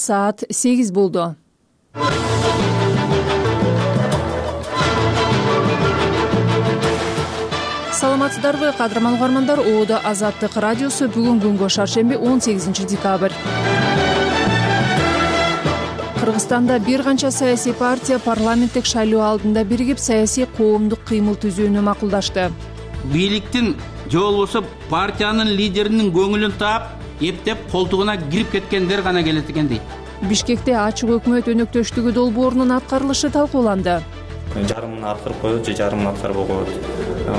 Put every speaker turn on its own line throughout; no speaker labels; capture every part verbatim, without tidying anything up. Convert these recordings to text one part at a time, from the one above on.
Саат сегиз болду. Саламатсыздарбы, кадырман угармандар. Оодо Азаттык радиосу. Бүгүн күнгө шаршемби он сегизинчи декабрь. Кыргызстанда бир канча саясий партия парламенттик шайлоо алдында биригип саясий коомдук кыймыл түзүүнү макулдашты.
Бийликтин же болбосо партиянын лидеринин көңүлүн таап, эптеп колтугуна кирип кеткендер гана келет экен дейт.
Бишкекте ачык өкмөт өнөктөштүгү долбоорунун аткарылышы талкууланды.
Жарымын аткарып коет же жарымын аткарбай коет.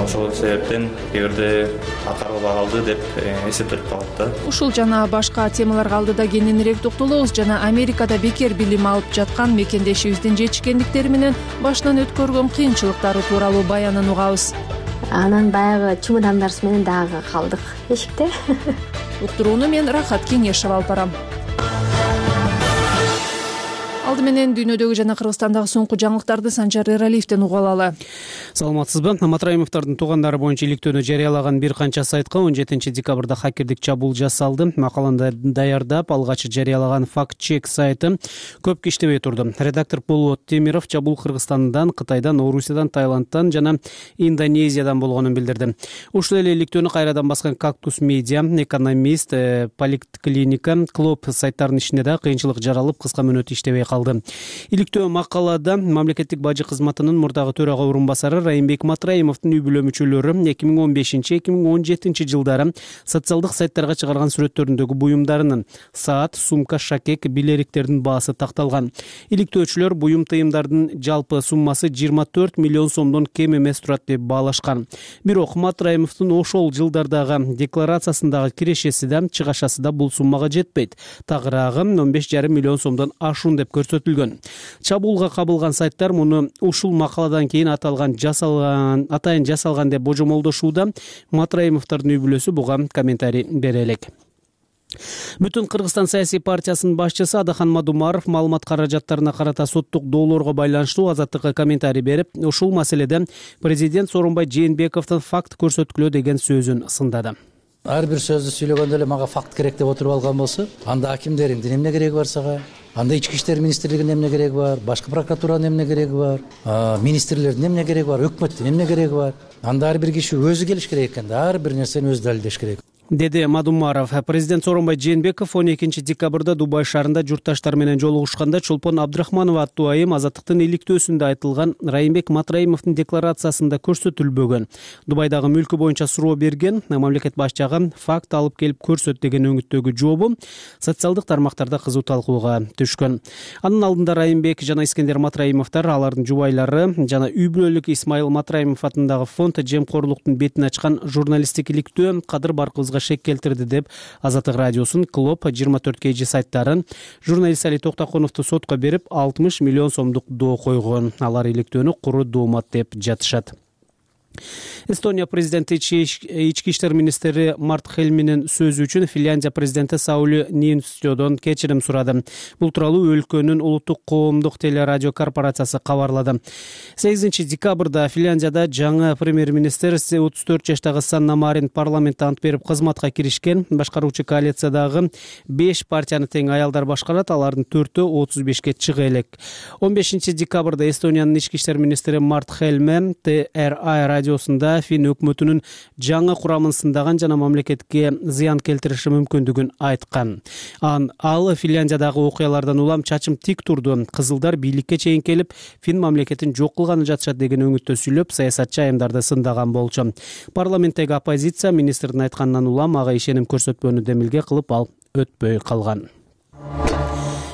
Ошол себептен кээ аткарылбай калды деп эсептелип калат да.
Ушул жана башка темаларга алдыда кененирээк токтолобуз жана Америкада бекер билим алып жаткан мекендешибиздин жетишкендиктери менен башынан өткөргөн кыйынчылыктары тууралуу баянын угабыз.
Анан баягы чемодандарыбыз менен дагы калдык эшикте.
Уктурууну мен Рахат Кеңешева алып барам. Алды менен дүйнөдөгү жана Кыргызстандагы соңку жаңылыктарды Санжар Эралиевден угуп алалы.
Саламатсызбы? Матраимовдордун туугандары боюнча иликтөөнү жарыялаган бир канча сайтка он жетинчи декабрда хакердик чабуул жасалды. Макаланы даярдап, алгач жарыялаган факт-чек сайты көп иштебей турду. Редактор Болот Темиров чабуул Кыргызстандан, Кытайдан, Орусиядан, Таиландтан жана Индонезиядан болгонун билдирди. Ушул эле иликтөөнү кайрадан баскан Кактус Медиа, Экономист, Поликлиника, Клоп сайттарынын ишине да кыйынчылык жаралып, кыска мөөнөт иштебей калды. Иликтөө макалада мамлекеттик бажы кызматынын мурдагы төрага орун басары Райымбек Матраимовдун үй бүлө мүчөлөрү эки миң он бешинчи — эки миң он жетинчи жылдары социалдык сайттарга чыгарган сүрөттөрүндөгү буюмдарынын саат, сумка, шакек, билериктердин баасы такталган. Иликтөөчүлөр буюм тыйымдардын жалпы суммасы жыйырма төрт миллион сомдон кем эмес турат деп баалашкан. Бирок Матраимовдун ошол жылдардагы декларациясындагы кирешеси да, чыгашасы да бул суммага жетпейт. Тагыраагы он беш жарым миллион сомдон ашуун деп көрсөтүлгөн. Чабуулга кабылган сайттар муну ушул макаладан кийин аталган жасалган, атайын жасалган деп божомолдошууда. Матраимовдордун үй бүлөсү буга комментарий бере элек. Бүтүн Кыргызстан саясий партиясынын башчысы Адахан Мадумаров маалымат каражаттарына карата соттук доолорго байланыштуу Азаттыкка комментарий берип, ушул маселеде президент Сооронбай Жээнбековдун факт көрсөткүлө деген сөзүн сындады.
Ар бир сөздү сүйлөгөндө эле мага факт керек деп отуруп алган болсо, анда акимдериңдин эмне кереги бар сага? Анда ички иштер министрлигинин эмне кереги бар? Башкы прокуратуранын эмне кереги бар? Министрлердин эмне кереги бар? Өкмөттүн эмне кереги бар? Анда ар бир киши өзү келиш керек экен да, ар бир нерсени өзү далилдеш керек.
Деди Мадумаров. Президент Сооронбай Жээнбеков он экинчи декабрда Дубай шаарында журтташтар менен жолугушканда Чолпон Абдрахманова аттуу айым Азаттыктын иликтөөсүндө айтылган Райымбек Матраимовдун декларациясында көрсөтүлбөгөн. Дубайдагы мүлкү боюнча суроо берген мамлекет башчыга факт алып келип көрсөт деген өңүттөгү жообу социалдык тармактарда кызуу талкууга түшкөн. Анын алдында Райымбек жана Искендер Матраимовдор, алардын жубайлары жана үй бүлөлүк Исмайыл Матраимов атындагы фонд жемкорлуктун бетин ачкан журналисттик иликтөө Кадыр Баркыбызга шек келтирди деп Азаттык радиосунун Клоп жыйырма төрт кей жи сайттарын журналист Али Токтоконовду сотко берип алтымыш миллион сомдук доо койгон. Алар иликтөөнү куру доомат деп жатышат. Эстония президенти ички иштер министри Март Хельминин сөзү үчүн Финляндия президенти Саули Ниинистөдөн кечирим сурады. Бул тууралуу өлкөнүн улуттук коомдук телерадио корпорациясы кабарлады. сегизинчи декабрда Финляндияда жаңы премьер-министр отуз төрт жаштагы Санна Марин парламентте ант берип кызматка киришкен. Башкаруучу коалициядагы беш партияны тең аялдар башкарат, алардын төртөө отуз бешке чыга элек. он бешинчи декабрда Эстониянын ички иштер министри Март Хельме Т Р А радиосунда Фин өкмөтүнүн жаңы курамын сындаган жана мамлекетке зыян келтириши мүмкүндүгүн айткан. Ан ал Финляндиядагы окуялардан улам чачым тик турду. Кызылдар бийликке чейин келип, Фин мамлекетин жок кылганы жатышат деген өңүттө сүйлөп, саясатчы айымдарды сындаган болчу. Парламенттеги оппозиция министрдин айтканынан улам ага ишеним көрсөтпөөнү демилге кылып, ал өтпөй калган.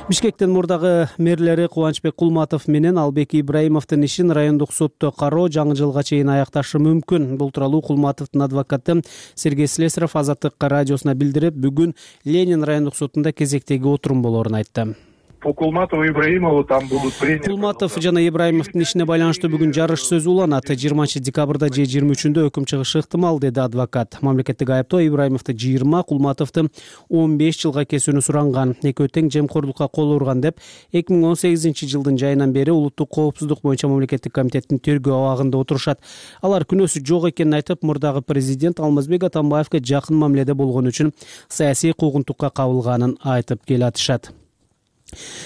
Бишкектин мурдагы мэрлери Кубанычбек Кулматов менен Албек Ибраимовдун ишин райондук сотто кароо жаңы жылга чейин аякташы мүмкүн. Бул тууралуу Кулматовдун адвокаты Сергей Слесарев Азаттык радиосуна билдирип, бүгүн Ленин райондук сотунда кезектеги отурум болоорун айтты.
По Кулматову и Ибраимову там будут приняты.
Кулматов жана Ибраимовдун ишине байланыштуу бүгүн жарыш сөз уланат. жыйырманчы декабрда же жыйырма үчүндө өкүм чыгышы ыктымал, деди адвокат. Мамлекеттик айыптоо Ибраимовду жыйырма, Кулматовду он беш жылга кесүүнү суранган. Экөө тең жемкорлукка кол урган деп эки миң он сегизинчи жылдын жайынан бери улуттук коопсуздук боюнча мамлекеттик комитеттин тергөө абагында отурушат. Алар күнөөсү жок экенин айтып, мурдагы президент Алмазбек Атамбаевге жакын мамиледе болгон үчүн саясий куугунтукка кабылганын айтып келатышат.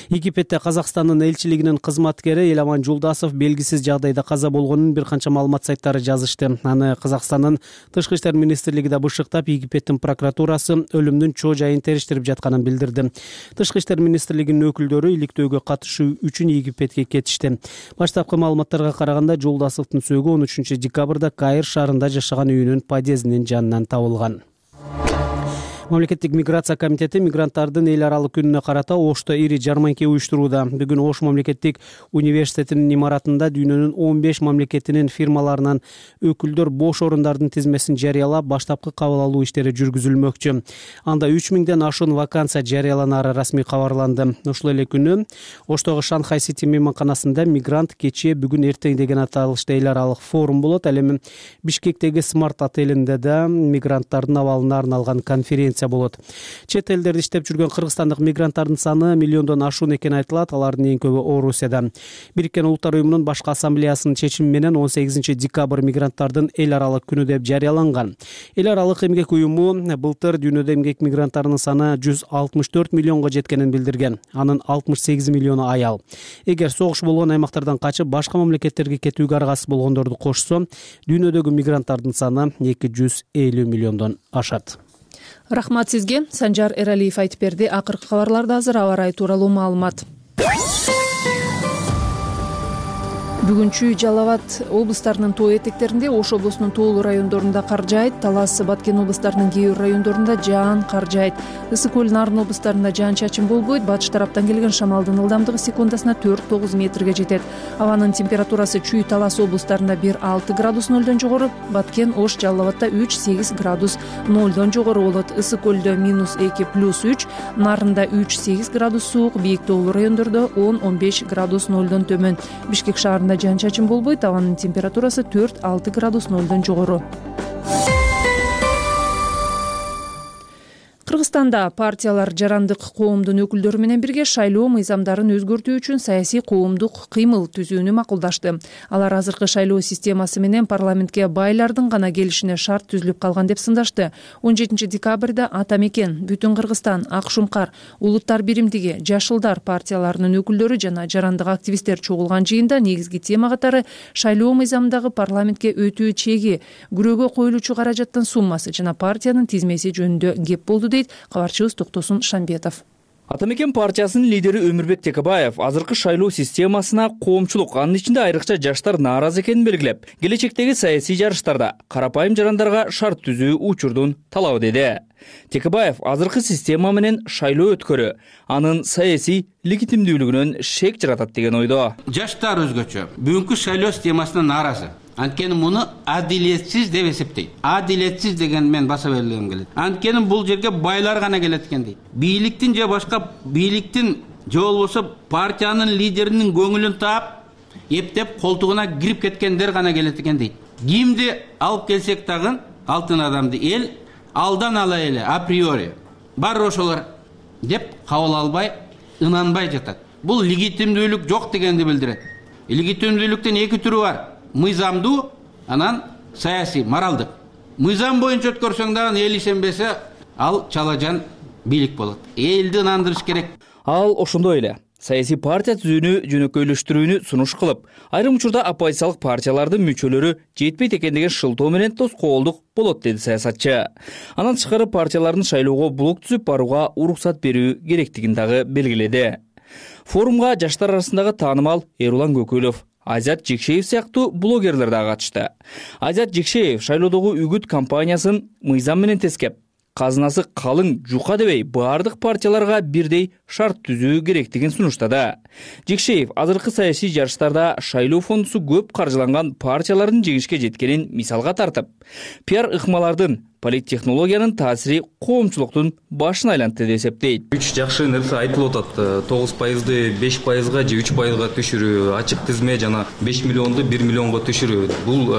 Египетте Казакстандын элчилигинин кызматкери Эламан Жулдасов белгисиз жагдайда каза болгонун бир канча маалымат сайттары жазышты. Аны Казакстандын Тышкы иштер министрлиги да бышыктап, Египеттин прокуратурасы өлүмдүн чоо жайын териштирип жатканын билдирди. Тышкы иштер министрлигинин өкүлдөрү иликтөөгө катышуу үчүн Египетке кетишти. Баштапкы маалыматтарга караганда Жулдасовдун сөөгү он үчүнчү декабрда Каир шаарында жашаган үйүнүн подъездинин жанынан табылган. Мамлекеттик миграция комитети мигранттардын эл аралык күнүнө карата Ошто ири жарманке уюштурууда. Бүгүн Ош мамлекеттик университетинин имаратында дүйнөнүн он беш мамлекетинин фирмаларынан өкүлдөр бош орундардын тизмесин жарыялап, баштапкы кабыл алуу иштери жүргүзүлмөкчү. Анда үч миңден ашуун вакансия жарыяланары расмий кабарланды. Ушул эле күнү Оштогу Шанхай Сити мейманканасында мигрант кечээ бүгүн эртең деген аталышта эл аралык форум болот. Ал эми Бишкектеги Смарт отелинде да мигранттардын абалына арналган конференция болот. Чет элдерде иштеп жүргөн кыргызстандык мигранттардын саны миллиондон ашуун экени айтылат. Алардын эң көбү Орусияда. Бириккен Улуттар уюмунун башкы ассамблеясынын чечими менен он сегизинчи декабрь мигранттардын эл аралык күнү деп жарыяланган. Эл аралык эмгек уюму былтыр дүйнөдө эмгек мигранттарынын саны жүз алтымыш төрт миллионго жеткенин билдирген. Анын алтымыш сегиз миллиону аял. Эгер согуш болгон аймактардан качып башка мамлекеттерге кетүүгө аргасыз болгондорду кошсо, дүйнөдөгү мигранттардын саны эки жүз элүү миллиондон ашат.
Рахмат сизге. Санжар Эралиев айтып берди. Акыркы кабарларда азыр аба ырайы тууралуу маалымат. Бүгүн Чүй, Жалал Абад облустарынын тоо этектеринде, Ош облусунун тоолуу райондорунда кар жаайт, Талас, Баткен облустарынын кээ бир райондорунда жаан кар жаайт. Ысык көл, Нарын облустарында жаан-чачын болбойт. Батыш тараптан келген шамалдын ылдамдыгы секундасына төрт тогуз метрге жетет. Абанын температурасы Чүй, Талас облустарында бир алты градус нолдон жогору, Баткен, Ош, Жалал Абадта үч сегиз градус нолдон жогору болот. Ысык көлдө минус эки плюс үч, Нарында үч сегиз градус суук, бийик тоолуу райондордо он он беш градус нолдон төмөн. Бишкек шаарында жаан-чачын болбойт. Абанын температурасы төрт алты градус нолдон жогору. Кыргызстанда партиялар жарандык коомдун өкүлдөрү менен бирге шайлоо мыйзамдарын өзгөртүү үчүн саясий коомдук кыймыл түзүүнү макулдашты. Алар азыркы шайлоо системасы менен парламентке байлардын гана келишине шарт түзүлүп калган деп сындашты. он жетинчи декабрда Ата Мекен, Бүтүн Кыргызстан, Ак Шумкар, Улуттар биримдиги, Жашылдар партияларынын өкүлдөрү жана жарандык активисттер чогулган жыйында негизги тема катары шайлоо мыйзамдагы парламентке өтүү чеги, күрөөгө коюлуучу каражаттын суммасы жана партиянын тизмеси жөнүндө кеп болду дейт кабарчыбыз Токтосун Шамбетов.
Ата Мекен партиясынын лидери Өмүрбек Текебаев азыркы шайлоо системасына коомчулук, анын ичинде айрыкча жаштар нааразы экенин белгилеп, келечектеги саясий жарыштарда карапайым жарандарга шарт түзүү учурдун талабы деди. Текебаев азыркы система менен шайлоо өткөрү анын саясий легитимдүүлүгүнөн шек жаратат деген ойдо.
Жаштар өзгөчө бүгүнкү шайлоо системасына нааразы. Анткени муну адилетсиз деп эсептейт. Адилетсиз деген мен баса бергим келет. Анткени бул жерге байлар гана келет экен дейт. Бийликтин же башка бийликтин же болбосо партиянын лидеринин көңүлүн таап, эптеп колтугуна кирип кеткендер гана келет экен дейт. Кимди алып келсек дагы алтын адамды эл алдан ала эле априори бар ошолор деп кабыл албай, ынанбай жатат. Бул легитимдүүлүк жок дегенди билдирет. Легитимдүүлүктүн эки түрү бар. Мыйзамдуу, анан саясий, моралдык. Мыйзам боюнча өткөрсөң дагы эл ишенбесе, ал чалажан бийлик болот. Элди ынандырыш керек.
Ал ошондой эле саясий партия түзүүнү жөнөкөйлөштүрүүнү сунуш кылып, айрым учурда оппозициялык партиялардын мүчөлөрү жетпейт экен деген шылтоо менен тоскоолдук болот деди саясатчы. Анан тышкары партиялардын шайлоого блок түзүп барууга уруксат берүү керектигин дагы белгиледи. Форумга жаштар арасындагы таанымал Эрулан Көкөлов, Азат Жекшеев сыяктуу блогерлер да катышты. Азат Жекшеев шайлоодогу үгүт кампаниясын мыйзам менен тескеп, казынасы калың жука дебей баардык партияларга бирдей шарт түзүү керектигин сунуштады. Жекшеев азыркы саясий жарыштарда шайлоо фондусу көп каржыланган партиялардын жеңишке жеткенин мисалга тартып, пиар ыкмалардын, политтехнологиянын таасири коомчулуктун башын айлантты деп эсептейт.
Үч жакшы нерсе айтылып атат. тогуз пайызды беш пайызга же үч пайызга түшүрүү, ачык тизме жана беш миллионду бир миллионго түшүрүү. Бул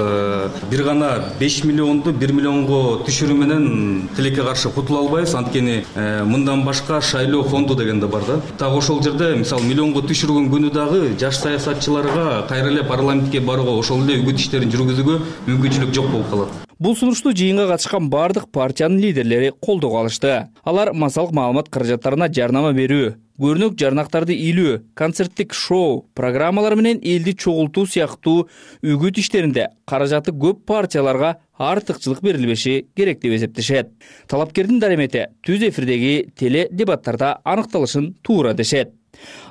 бир гана беш миллионду бир миллионго түшүрүү менен тилекке каршы кутула албайбыз. Анткени мындан башка шайлоо фонду деген да бар да. Так ошол жерде мисалы миллионго түшүргөн күнү дагы жаш саясатчыларга кайра эле парламентке барууга, ошол эле үгүт иштерин жүргүзүүгө мүмкүнчүлүк жок болуп калат.
Бул сунушту жыйынга катышкан бардык партиянын лидерлери колдоого алышты. Алар массалык маалымат каражаттарына жарнама берүү, көрүнөк жарнактарды илүү, концерттик шоу, программалар менен элди чогултуу сыяктуу үгүт иштеринде каражаты көп партияларга артыкчылык берилбеши керек деп эсептешет. Талапкердин даремети түз эфирдеги теле дебаттарда аныкталышын туура дешет.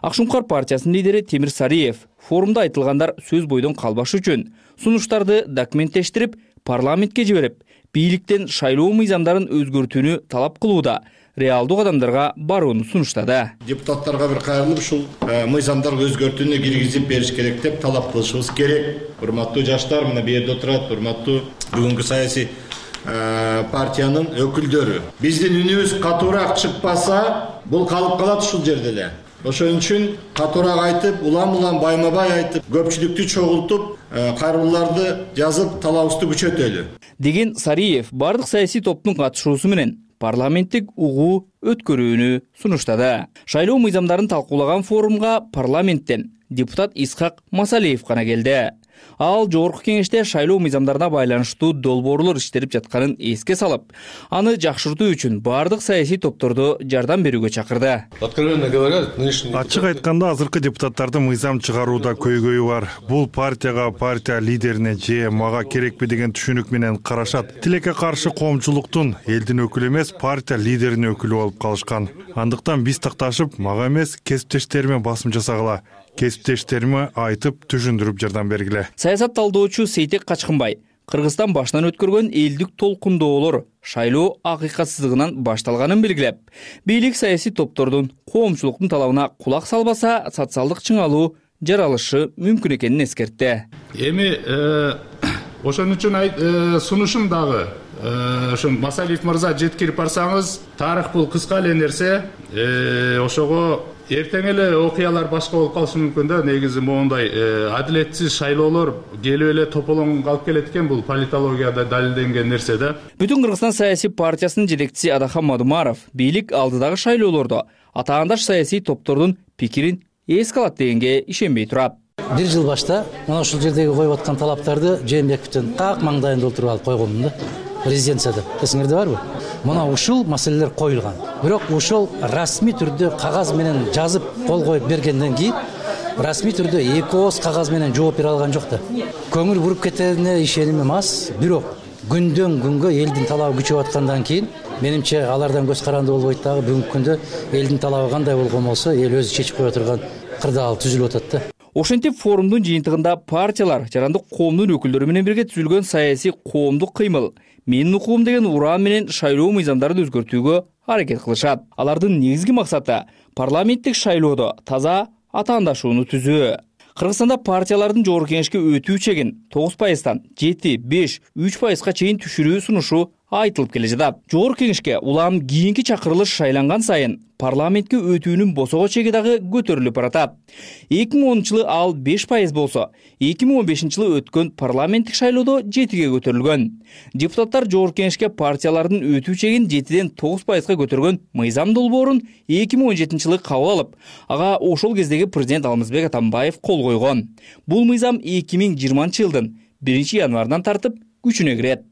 Ак Шуңкар партиясынын лидери Темир Сариев форумда айтылгандар сөз бойдон калбаш үчүн сунуштарды документтештирип, парламентке жиберип, бийликтен шайлоо мыйзамдарын өзгөртүүнү талап кылууда реалдуу кадамдарга барууну сунуштады.
Депутаттарга бир кайрылып, ушул мыйзамдарды өзгөртүүнү киргизип бериш керек деп талап кылышыбыз керек. Урматтуу жаштар, мына бу жерде отурат, урматтуу бүгүнкү саясий партиянын өкүлдөрү. Биздин үнүбүз катуураак чыкпаса, бул калып калат ушул жерде эле. Ошон үчүн катуураак айтып, улам-улам байма-бай айтып, көпчүлүктү чогултуп, кайрылууларды жазып, талабыбызды күчөтөлү
деген Сариев бардык саясий топтун катышуусу менен парламенттик угуу өткөрүүнү сунуштады. Шайлоо мыйзамдарын талкуулаган форумга парламенттен депутат Исхак Масалиев гана келди. Ал жогорку кеңеште шайлоо мыйзамдарына байланыштуу долбоорлор иштелип жатканын эске салып, аны жакшыртуу үчүн бардык саясий топторду жардам берүүгө чакырды.
Ачык айтканда, азыркы депутаттардын мыйзам чыгарууда көйгөйү бар. Бул партияга, партия лидерине же мага керекпи деген түшүнүк менен карашат. Тилекке каршы коомчулуктун элдин өкүлү эмес, партия лидеринин өкүлү болуп калышкан. Андыктан биз такташып, мага эмес, кесиптештериме басым жасагыла. Кесиптештериме айтып, түшүндүрүп жардам бергиле.
Саясат талдоочу Сейтек Качкынбай Кыргызстан башынан өткөргөн элдик толкундоолор шайлоо акыйкатсыздыгынан башталганын белгилеп, бийлик саясий топтордун коомчулуктун талабына кулак салбаса, социалдык чыңалуу жаралышы мүмкүн экенин эскертти.
Эми ошон үчүн сунушум дагы ошо Масалиев мырза жеткирип барсаңыз, тарых бул кыска эле нерсе, ошого эртең эле окуялар башка болуп калышы мүмкүн да. Негизи моундай адилетсиз шайлоолор келип эле тополоң калып келет экен, бул политологияда далилденген нерсе да.
Бүтүн Кыргызстан саясий партиясынын жетекчиси Адахан Мадумаров бийлик алдыдагы шайлоолордо атаандаш саясий топтордун пикирин эске алат дегенге ишенбей турат.
Бир жыл башта мына ушул жердеги коюп аткан талаптарды Жээнбековдун как маңдайында отуруп алып койгонмун да. Президенцияда. Эсиңерде барбы? Мына ушул маселелер коюлган. Бирок ушул расмий түрдө кагаз менен жазып кол коюп бергенден кийин расмий түрдө эки ооз кагаз менен жооп бере алган жок да. Көңүл буруп кетерине ишенимим аз. Бирок күндөн күнгө элдин талабы күчөп аткандан кийин менимче алардан көз каранды болбойт дагы. Бүгүнкү күндө элдин талабы кандай болгон болсо, эл өзү чечип кое турган кырдаал түзүлүп атат да.
Ошентип форумдун жыйынтыгында партиялар жарандык коомдун өкүлдөрү менен бирге түзүлгөн саясий коомдук кыймыл менин укугум деген ураан менен шайлоо мыйзамдарын өзгөртүүгө аракет кылышат. Алардын негизги максаты парламенттик шайлоодо таза атаандашууну түзүү. Кыргызстанда партиялардын жогорку кеңешке өтүү чегин тогуз пайыздан жети, беш, үч пайызга чейин түшүрүү сунушу айтылып келе жатат. Жогорку кеңешке улам кийинки чакырылыш шайланган сайын парламентке өтүүнүн босого чеги дагы көтөрүлүп баратат. эки миң онунчу жылы ал беш пайыз болсо, эки миң он бешинчи жылы өткөн парламенттик шайлоодо жетиге көтөрүлгөн. Депутаттар жогорку кеңешке партиялардын өтүү чегин жетиден тогуз пайызга көтөргөн мыйзам долбоорун эки миң он жетинчи жылы кабыл алып, ага ошол кездеги президент Алмазбек Атамбаев кол койгон. Бул мыйзам эки миң жыйырманчы жылдын биринчи январынан тартып күчүнө кирет.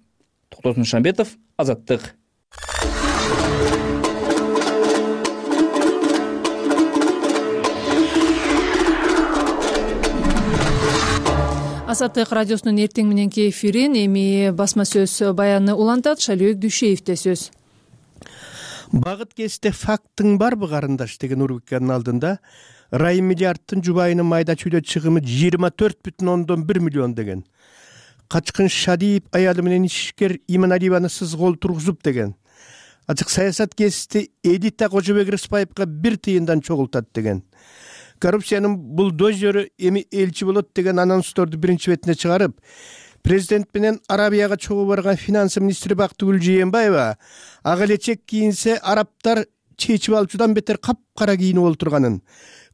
Токтосун Шамбетов, Азаттык.
Азаттык радиосунун эртең мененки эфирин эми басма сөз баяны улантат. Шалибек Дүйшеевде сөз.
Багыт кесте фактың барбы карындаш деген рубриканын алдында Райым миллиардтын жубайынын майда чүйдө чыгымы жыйырма төрт бүтүн ондон бир миллион деген. Качкын Шадиев аялы менен ишкер Иманалиеваны сыз кол тургузуп деген. Ачык саясат кести Эдита Кожобек Рыспаевга бир тыйындан чогултат деген. Коррупциянын булдозеры эми элчи болот деген анонсторду биринчи бетине чыгарып, президент менен Арабияга чогуу барган финансы министри Бактыгүл Жээнбаева ага элечек кийинсе арабтар чечип алчудан бетер капкара кийинип олтурганын,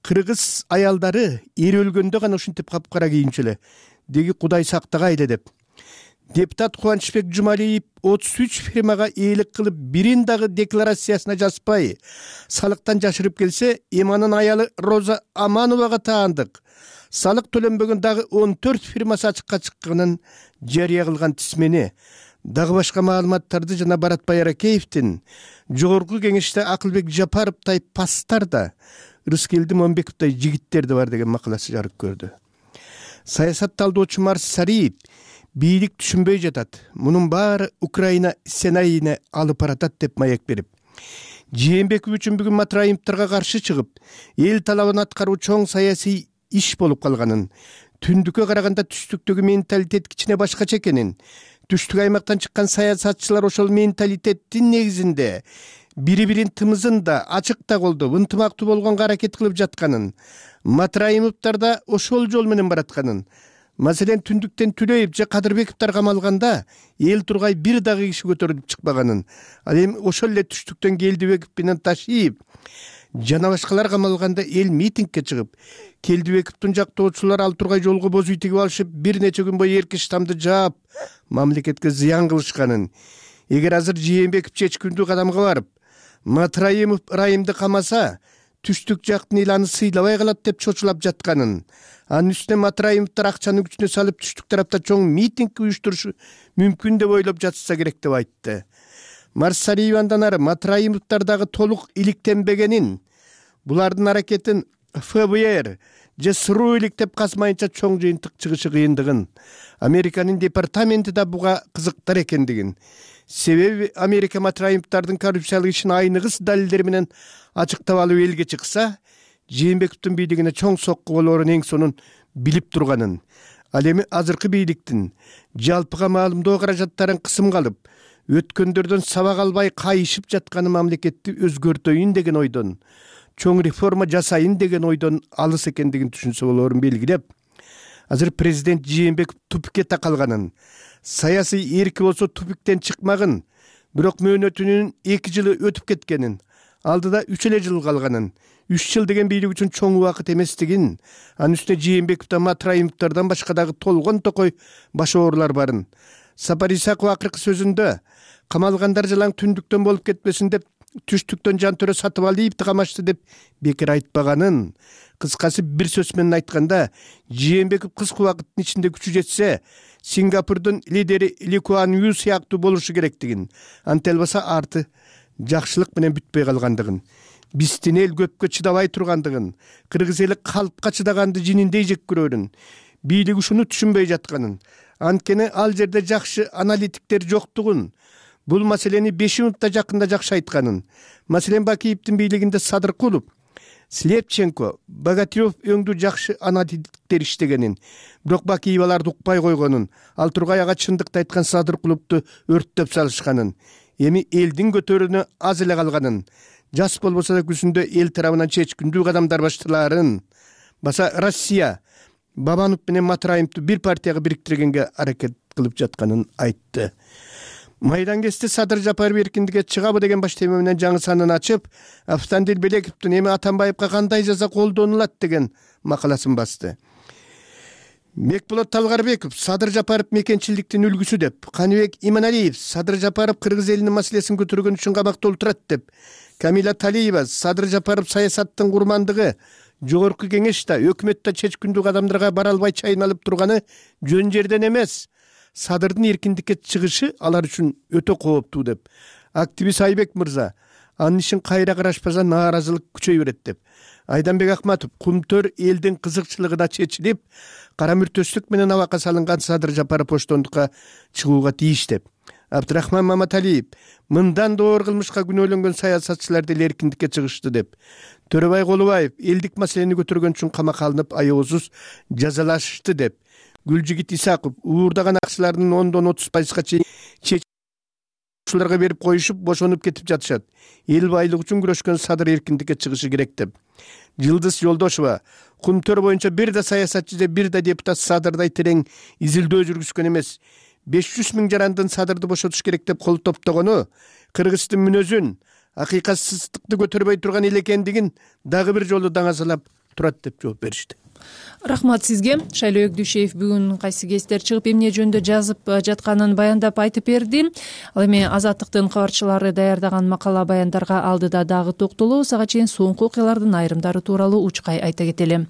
кыргыз аялдары эри өлгөндө гана ушинтип капкара кийинчү эле, деги Кудай сактагайлы деп. Депутат Кубанычбек Жумалиев отуз үч фирмага ээлик кылып, бирин дагы декларациясына жазбай, салыктан жашырып келсе, Эманын аялы Роза Амановага таандык. Салык төлөнбөгөн дагы он төрт фирмасы ачыкка чыкканын жарыя кылган тизмени дагы башка маалыматтарды жана Баратбай Аракеевдин жогорку кеңеште Акылбек Жапаровдай пастар да, Рыскелди Момбековдай жигиттер да бар деген макаласы жарык көрдү. Саясат талдоочу Марс Сариев бийлик түшүнбөй жатат, мунун баары Украина сценарийине алып баратат деп маек берип, Жээнбеков үчүн бүгүн Матраимовдорго каршы чыгып, эл талабын аткаруу чоң саясий иш болуп калганын, түндүккө караганда түштүктөгү менталитет кичине башкача экенин, түштүк аймактан чыккан саясатчылар ошол менталитеттин негизинде бири-бирин тымызын да ачык да колдоп, ынтымактуу болгонго аракет кылып жатканын, Матраимовдор да ошол жол менен баратканын, маселен түндүктен Түлөев же Кадырбековдор камалганда эл тургай бир дагы киши көтөрүлүп чыкпаганын, ал эми ошол эле түштүктөн Келдибеков менен Ташиев жана башкалар камалганда эл митингге чыгып, Келдибековдун жактоочулары ал тургай жолго боз үй тигип алышып, бир нече күн бою эрки штамды жаап, мамлекетке зыян кылышканын, эгер азыр Жээнбеков чечкиндүү кадамга барып, Матраимов Райымды камаса, түштүк жактын эл аны сыйлабай калат деп чочулап жатканын, анын үстүнө Матраимовдор акчаны күчүнө салып түштүк тарапта чоң митинг уюштурушу мүмкүн деп ойлоп жатышса керек деп айтты. Марс Сариев андан ары Матраимовдор дагы толук иликтенбегенин, булардын аракетин эф бэ эр же СРУ иликтеп казмайынча чоң жыйынтык чыгышы кыйындыгын, Американын департаменти да буга кызыктар экендигин, себеби Америка Матраимовдордун коррупциялык ишин айныгыс далилдер менен ачыктап алып элге чыкса, Жээнбековдун бийлигине чоң сокку болоорун эң сонун билип турганын, ал эми азыркы бийликтин жалпыга маалымдоо каражаттарын кысымга алып, өткөндөрдөн сабак албай кайышып жатканы мамлекетти өзгөртөйүн деген ойдон, чоң реформа жасайын деген ойдон алыс экендигин түшүнсө болоорун белгилеп, азыр президент Жээнбеков тупикке такалганын, саясий эрки болсо тупиктен чыкмагын, бирок мөөнөтүнүн эки жылы өтүп кеткенин, алдыда үч эле жыл калганын, үч жыл деген бийлик үчүн чоң убакыт эместигин, анын үстүнө Жээнбековдон Матраимовдордон башка дагы толгон токой баш оорулар барын. Сапар Исаков акыркы сөзүндө камалгандар жалаң түндүктөн болуп кетпесин деп түштүктөн Жантөрө Сатыбалиевди камашты деп бекер айтпаганын, кыскасы бир сөз менен айтканда, Жээнбеков кыска убакыттын ичинде күчү жетсе, Сингапурдун лидери Ли Куан Ю сыяктуу болушу керектигин, антип албаса арты жакшылык менен бүтпөй калгандыгын, биздин эл көпкө чыдабай тургандыгын, кыргыз эли калпка чыдаганды жининдей жек көрөрүн, бийлик ушуну түшүнбөй жатканын, анткени ал жерде жакшы аналитиктер жоктугун, бул маселени Бешимовда жакында жакшы айтканын, маселен Бакиевдин бийлигинде Садыркулов, Слепченко, Богатырев өңдүү жакшы аналитиктер иштегенин, бирок Бакиев аларды укпай койгонун, ал тургай ага чындыкты айткан Садыркуловду өрттөп салышканын, эми элдин көтөрүүнө аз эле калганын, жас болбосо да күзүндө эл тарабынан чечкиндүү кадамдар башталаарын, баса Россия Бабанов менен Матраимовду бир партияга бириктиргенге аракет кылып жатканын айтты. Майдан кести Садыр Жапаров эркиндикке чыгабы деген баш тема менен жаңы санын ачып, Автандил Белековдун эми Атамбаевга кандай жаза колдонулат деген макаласын басты. Бекболот Талгарбеков Садыр Жапаров мекенчиликтин үлгүсү деп, Каныбек Иманалиев Садыр Жапаров кыргыз элинин маселесин көтөргөн үчүн камакта отурат деп, Камила Талиева Садыр Жапаров саясаттын курмандыгы, жогорку кеңеште, өкмөттө чечкиндүү кадамдарга бара албай чайналып турганы жөн жерден эмес, Садырдын эркиндикке чыгышы алар үчүн өтө кооптуу деп, активист Айбек мырза анын ишин кайра карашпаса нааразылык күчөй берет деп, Айданбек Акматов Кумтөр элдин кызыкчылыгы да чечилип, кара мүртөчтүк менен абакка салынган Садыр Жапаров оштондукка чыгууга тийиш деп, Абдрахман Маматалиев мындан да оор кылмышка күнөөлөнгөн саясатчылар деле эркиндикке чыгышты деп, Төрөбай Колубаев элдик маселени көтөргөн үчүн камакка алынып аябсыз жазалашышты деп, Гүлжигит Исаков уурдаган акчалардын ондон отуз пайызга чейин чечүүлөргө берип коюшуп бошонуп кетип жатышат. Эл байлык үчүн күрөшкөн Садыр эркиндикке чыгышы керек деп. Жылдыз Жолдошова Кумтөр боюнча бир да саясатчы же бир да депутат Садырдай терең изилдөө жүргүзгөн эмес. беш жүз миң жарандын Садырды бошотуш керек деп кол топтогону кыргыздын мүнөзүн, акыйкатсыздыкты көтөрбөй турган эл экендигин дагы бир жолу даңазалап турат деп жооп беришти.
Рахмат сизге. Шайлоо Өгдүшев бүгүн кайсы кездер чыгып эмне жөнүндө жазып жатканын баяндап айтып берди. Ал эми Азаттыктын кабарчылары даярдаган макала баяндарга алдыда дагы токтолобуз. Ага чейин соңку окуялардын айрымдары тууралуу учкай айта кетели.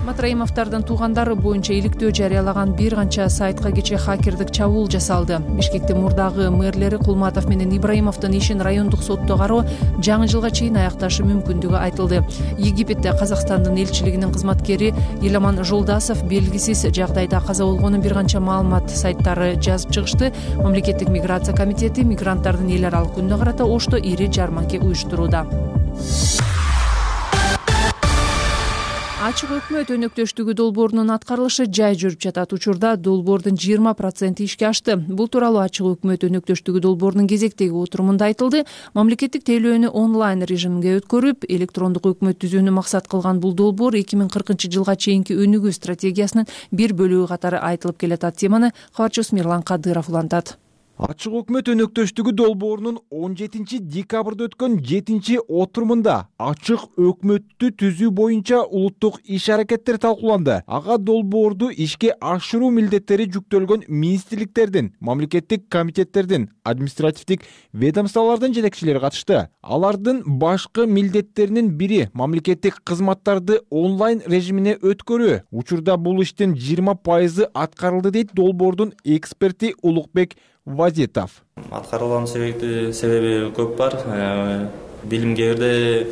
Матраимовдордун туугандары боюнча иликтөө жарыялаган бир канча сайтка кечээ хакердик чабуул жасалды. Бишкектин мурдагы мэрлери Кулматов менен Ибраимовдун ишин райондук сотто кароо жаңы жылга чейин аякташы мүмкүндүгү айтылды. Египетте Казакстандын элчилигинин кызматкери Иламан Жолдасов белгисиз жагдайда каза болгонун бир канча маалымат сайттары жазып чыгышты. Мамлекеттик миграция комитети мигранттардын эл аралык күнүнө карата Ошто ири жарманке уюштурууда. Ачык өкмөт өнөктөштүгү долбоорунун аткарылышы жай жүрүп жатат. Учурда долбоордун жыйырма проценти ишке ашты. Бул тууралуу Ачык өкмөт өнөктөштүгү долбоорунун кезектеги отурумунда айтылды. Мамлекеттик тейлөөнү онлайн режимге өткөрүп, электрондук өкмөт түзүүнү максат кылган бул долбоор эки миң кыркынчы жылга чейинки өнүгүү стратегиясынын бир бөлүгү катары айтылып келатат. Теманы кабарчыбыз Мирлан Кадыров улантат.
Ачык өкмөт өнөктөштүгү долбоорунун он жетинчи декабрда өткөн жетинчи отурумунда ачык өкмөттү түзүү боюнча улуттук иш-аракеттер талкууланды. Ага долбоорду ишке ашыруу милдеттери жүктөлгөн министрликтердин, мамлекеттик комитеттердин, административдик ведомстволордун жетекчилери катышты. Алардын башкы милдеттеринин бири мамлекеттик кызматтарды онлайн режимине өткөрүү. Учурда бул иштин жыйырма пайызы аткарылды дейт долбоордун эксперти Улукбек Вазитов.
Аткарылган себеби көп бар. Билимге кээ бирде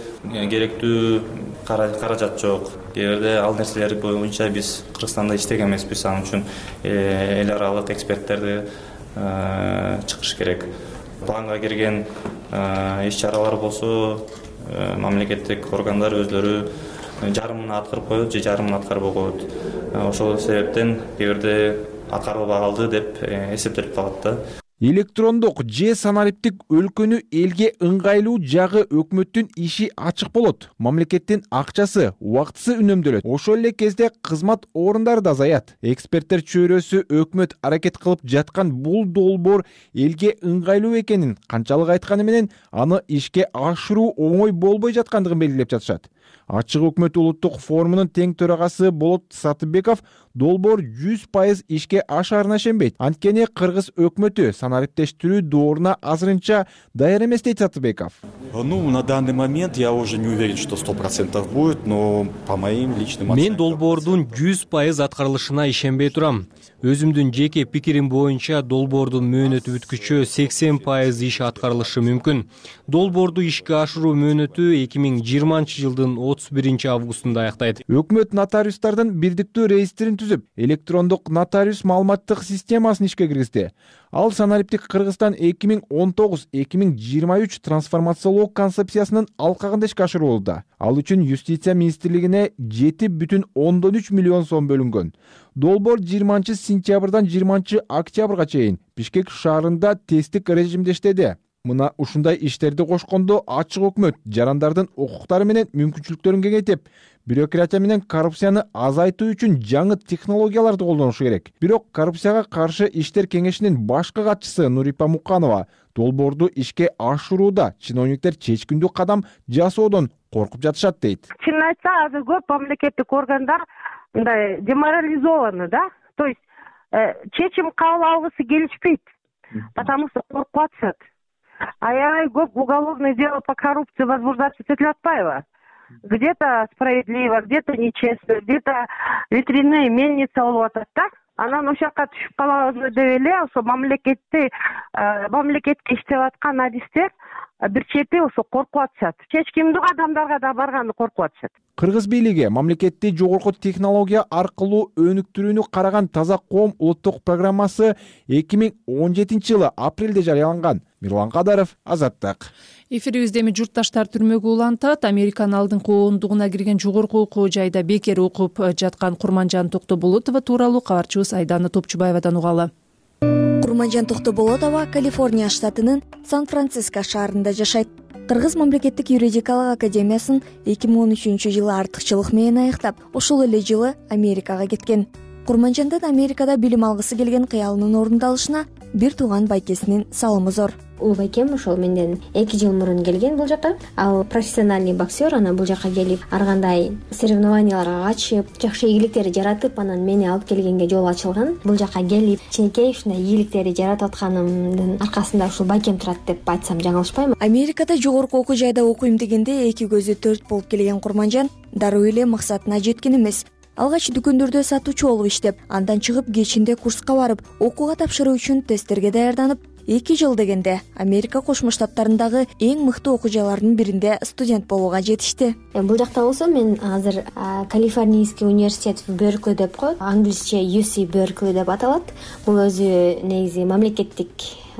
керектүү каражат жок. Кээ бирде ал нерселер боюнча биз Кыргызстанда иштеген эмеспиз. Ал үчүн эл аралык эксперттерди чыгыш керек. Планга кирген иш-чаралар болсо мамлекеттик органдар өзлөрү жарымын аткарып коет же жарымын аткарбай коет. Ошол себептен кээ бирде аткарылбай калды деп эсептелип калат да.
Электрондук же санариптик өлкөнү элге ыңгайлуу жагы өкмөттүн иши ачык болот. Мамлекеттин акчасы, убактысы үнөмдөлөт. Ошол эле кезде кызмат орундары да азаят. Эксперттер чөйрөсү өкмөт аракет кылып жаткан бул долбоор элге ыңгайлуу экенин канчалык айтканы менен аны ишке ашыруу оңой болбой жаткандыгын белгилеп жатышат. Ачык өкмөт улуттук форумунун тең төрагасы Болот Сатыбеков долбоор жүз пайыз ишке ашаарына ишенбейт. Анткени кыргыз өкмөтү санариптештирүү дооруна азырынча даяр эмес дейт Сатыбеков.
Ну, на данный момент я уже не уверен, что сто процентов будет, но по моим личным оценкам.
Мен долбоордун жүз пайыз аткарылышына ишенбей турам. Өзүмдүн жеке пикирим боюнча долбоордун мөөнөтү бүткүчө сексен пайыз иш аткарылышы мүмкүн. Долбоорду ишке ашыруу мөөнөтү эки миң жыйырманчы жылдын отуз биринчи августунда аяктайт.
Өкмөт нотариустардын бирдиктүү реестрин түзүп, электрондук нотариус маалыматтык системасын ишке киргизди. Ал санариптик Кыргызстан эки миң он тогуз эки миң жыйырма үч трансформациялоо концепциясынын алкагында ишке ашырылууда. Ал үчүн юстиция министрлигине жети бүтүн ондон үч миллион сом бөлүнгөн. Долбоор жыйырманчы сентябрдан жыйырманчы октябрга чейин Бишкек шаарында тесттик режимде иштеди. Мына ушундай иштерди кошкондо ачык өкмөт жарандардын укуктары менен мүмкүнчүлүктөрүн кеңейтип, бюрократия менен коррупцияны азайтуу үчүн жаңы технологияларды колдонушу керек. Бирок коррупцияга каршы иштер кеңешинин башкы катчысы Нурипа Муканова долбоорду ишке ашырууда чиновниктер чечкиндүү кадам жасоодон коркуп жатышат дейт.
Чынын айтса, азыр көп мамлекеттик органдар мындай деморализованы, да? То есть чечим кабыл алгысы келишпейт, потому что коркуп атышат. Аябай көп уголовное дело по коррупции возбуждаться этиле атпайбы? Где-то справедливо, где-то нечестно, где-то ветряные мельница болуп атат да. Анан ошол жака түшүп калабызбы деп эле ошо мамлекетти мамлекетке иштеп аткан адистер бир чети ошо коркуп атышат. Чечкиндүү адамдарга да барганы коркуп атышат.
Кыргыз бийлиги мамлекетти жогорку технология аркылуу өнүктүрүүнү караган Таза коом улуттук программасы эки миң он жетинчи жылы апрелде жарыяланган. Мирлан Кадаров, Азаттык.
Эфирибизде эми журтташтар түрмөгө улантат. Американын алдыңкы ондугуна кирген жогорку окуу жайда бекер окуп жаткан Курманжан Токтоболотова тууралуу кабарчыбыз Айдана Топчубаевадан угалы.
Курманжан Токтоболотова Калифорния штатынын Сан-Франциско шаарында жашайт. Кыргыз мамлекеттик юридикалык академиясын эки миң он үчүнчү жылы артыкчылык менен аяктап, ошол эле жылы Америкага кеткен. Курманжандын Америкада билим алгысы келген кыялынын орундалышына бир тууган байкесинин салымы зор.
Ул байкем ошол менден эки жыл мурун келген бул жака. Ал профессиональный боксер, анан бул жака келип ар кандай соревнованияларга катышып, жакшы ийгиликтерди жаратып, анан мени алып келгенге жол ачылган. Бул жака келип, ченекей ушундай ийгиликтерди жаратып атканымдын аркасында ушул байкем турат деп айтсам жаңылышпайм.
Америкада жогорку окуу жайда окуйм дегенде эки көзү төрт болуп келген Курманжан дароо эле максатына жеткен эмес. алгач дүкөндөрдө сатуучу болуп иштеп, андан чыгып кечинде курска барып, окууга тапшыруу үчүн тесттерге даярданып, эки жыл дегенде Америка Кошмо Штаттарындагы эң мыкты окуу жайларынын биринде студент болууга жетишти.
Бул жакта болсо мен азыр Калифорнийский университет в Беркли деп коет, англисче ю си Беркли деп аталат. Бул өзү негизи мамлекеттик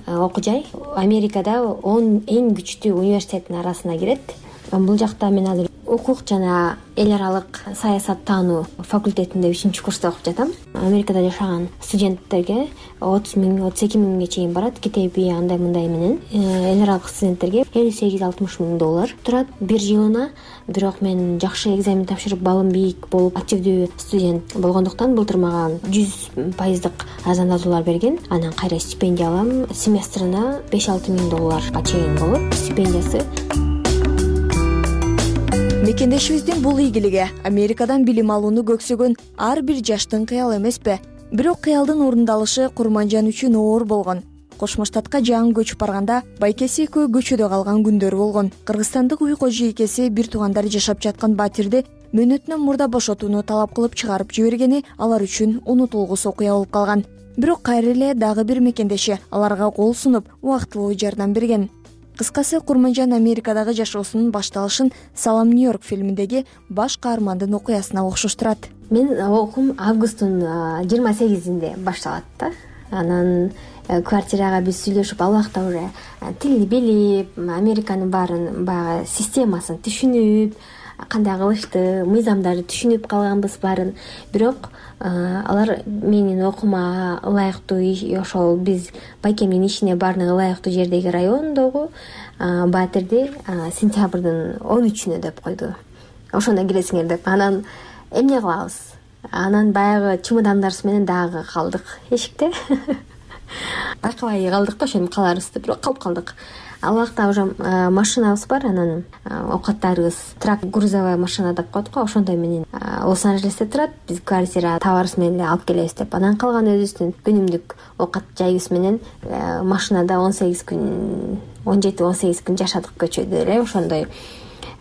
окуу жай. Америкада он эң күчтүү университеттин арасына кирет. Бул жакта мен азыр укук жана эл аралык саясаттануу факультетинде үчүнчү курста окуп жатам. Америкада жашаган студенттерге отуз миң отуз эки миңге чейин барат. Китеби андай мындай менен эл аралык студенттерге элүү сегиз алтымыш миң доллар турат бир жылына. Бирок мен жакшы экзамен тапшырып, балым бийик болуп, активдүү студент болгондуктан былтыр мага жүз пайыздык арзандатуулар берген. Анан кайра стипендия алам. Семестрына беш алты миң долларга чейин болот стипендиясы.
Мекендешибиздин бул ийгилиги Америкадан билим алууну көксөгөн ар бир жаштын кыялы эмеспи? Бирок кыялдын орундалышы Курманжан үчүн оор болгон. Кошмо Штатка жаңы көчүп барганда байкеси экөө көчөдө калган күндөр болгон. Кыргызстандык уй кожо экеси бир туугандары жашап жаткан батирди мөөнөтүнөн мурда бошотууну талап кылып чыгарып жибергени алар үчүн унутулгус окуя болуп калган. Бирок кайра эле дагы бир мекендеши аларга кол сунуп, убактылуу жардам берген. Кыскасы, Курманжан Америкадагы жашоосунун башталышын Салам Нью-Йорк фильминдеги баш каармандын окуясына окшоштурат.
Мен окуум августтун жыйырма сегизинде башталат да. Анан квартирага биз сүйлөшүп, ал убакта уже тилди билип, Американын баарын баягы системасын түшүнүп, кандай кылышты, мыйзамдарды түшүнүп калганбыз баарын. Бирок алар менин окуума ылайыктуу, ошол биз байкемдин ишине баарына ылайыктуу жердеги райондогу батирди сентябрдын он үчүнө деп койду. Ошондо киресиңер деп. Анан эмне кылабыз? Анан баягы чемодандарыбыз менен дагы калдык эшикте. Байкабай калдык да, ошентип каларыбызды, бирок калып калдык. Ал убакта уже машинабыз бар, анан оокаттарыбыз трак грузовая машина деп коет го, ошондой менен Лос-Анджелесте турат. Биз квартира табарыбыз менен эле алып келебиз деп. Анан калган өзүбүздүн күнүмдүк оокат жайыбыз менен машинада он сегиз күн, он жети он сегиз күн жашадык көчөдө эле. Ошондой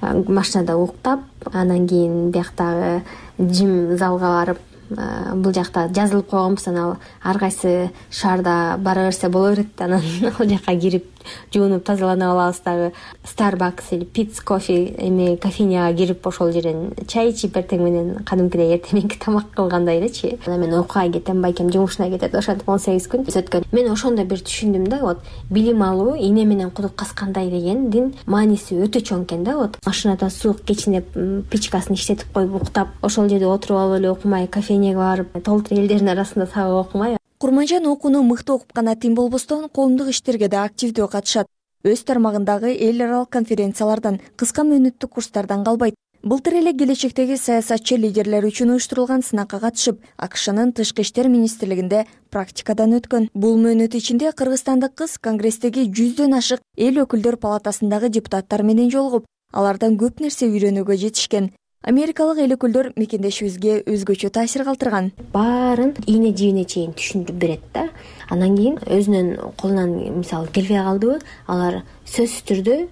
машинада уктап, анан кийин бияктагы жим залга барып, бул жакта жазылып койгонбуз. Анан ар кайсы шаарда бара берсе боло берет. Анан ал жака кирип жуунуп тазалана алабыз. Дагы Starbucks или Pitts кофе эме кофейняга кирип, ошол жерден чай ичип, эртең менен кадимкидей эртеңки тамак кылгандай элечи. Анан мен окууга кетем, байкем жумушуна кетет. Ошентип он сегиз күн өткөн. Мен ошондо бир түшүндүм да, вот билим алуу ийне менен кудук каскандай дегендин мааниси өтө чоң экен да. Вот машинада суук кечине печкасын иштетип коюп уктап, ошол жерде отуруп алып эле окумай, кофейняга барып, толтур элдердин арасында сабак окумай.
Курманжан окууну мыкты окуп гана тим болбостон, коомдук иштерге да активдүү катышат. Өз тармагындагы эл аралык конференциялардан, кыска мөөнөттүк курстардан калбайт. Былтыр эле келечектеги саясатчы лидерлер үчүн уюштурулган сынакка катышып, АКШнын Тышкы иштер министрлигинде практикадан өткөн. Бул мөөнөт ичинде кыргызстандык кыз Конгресстеги жүздөн ашык эл өкүлдөр палатасындагы депутаттар менен жолугуп, алардан көп нерсе үйрөнүүгө жетишкен. Америкалык эл өкүлдөр мекендешибизге өзгөчө таасир калтырган.
Баарын ийне жибине чейин түшүндүрүп берет да. Анан кийин өзүнүн колунан мисалы келбей калдыбы, алар сөзсүз түрдө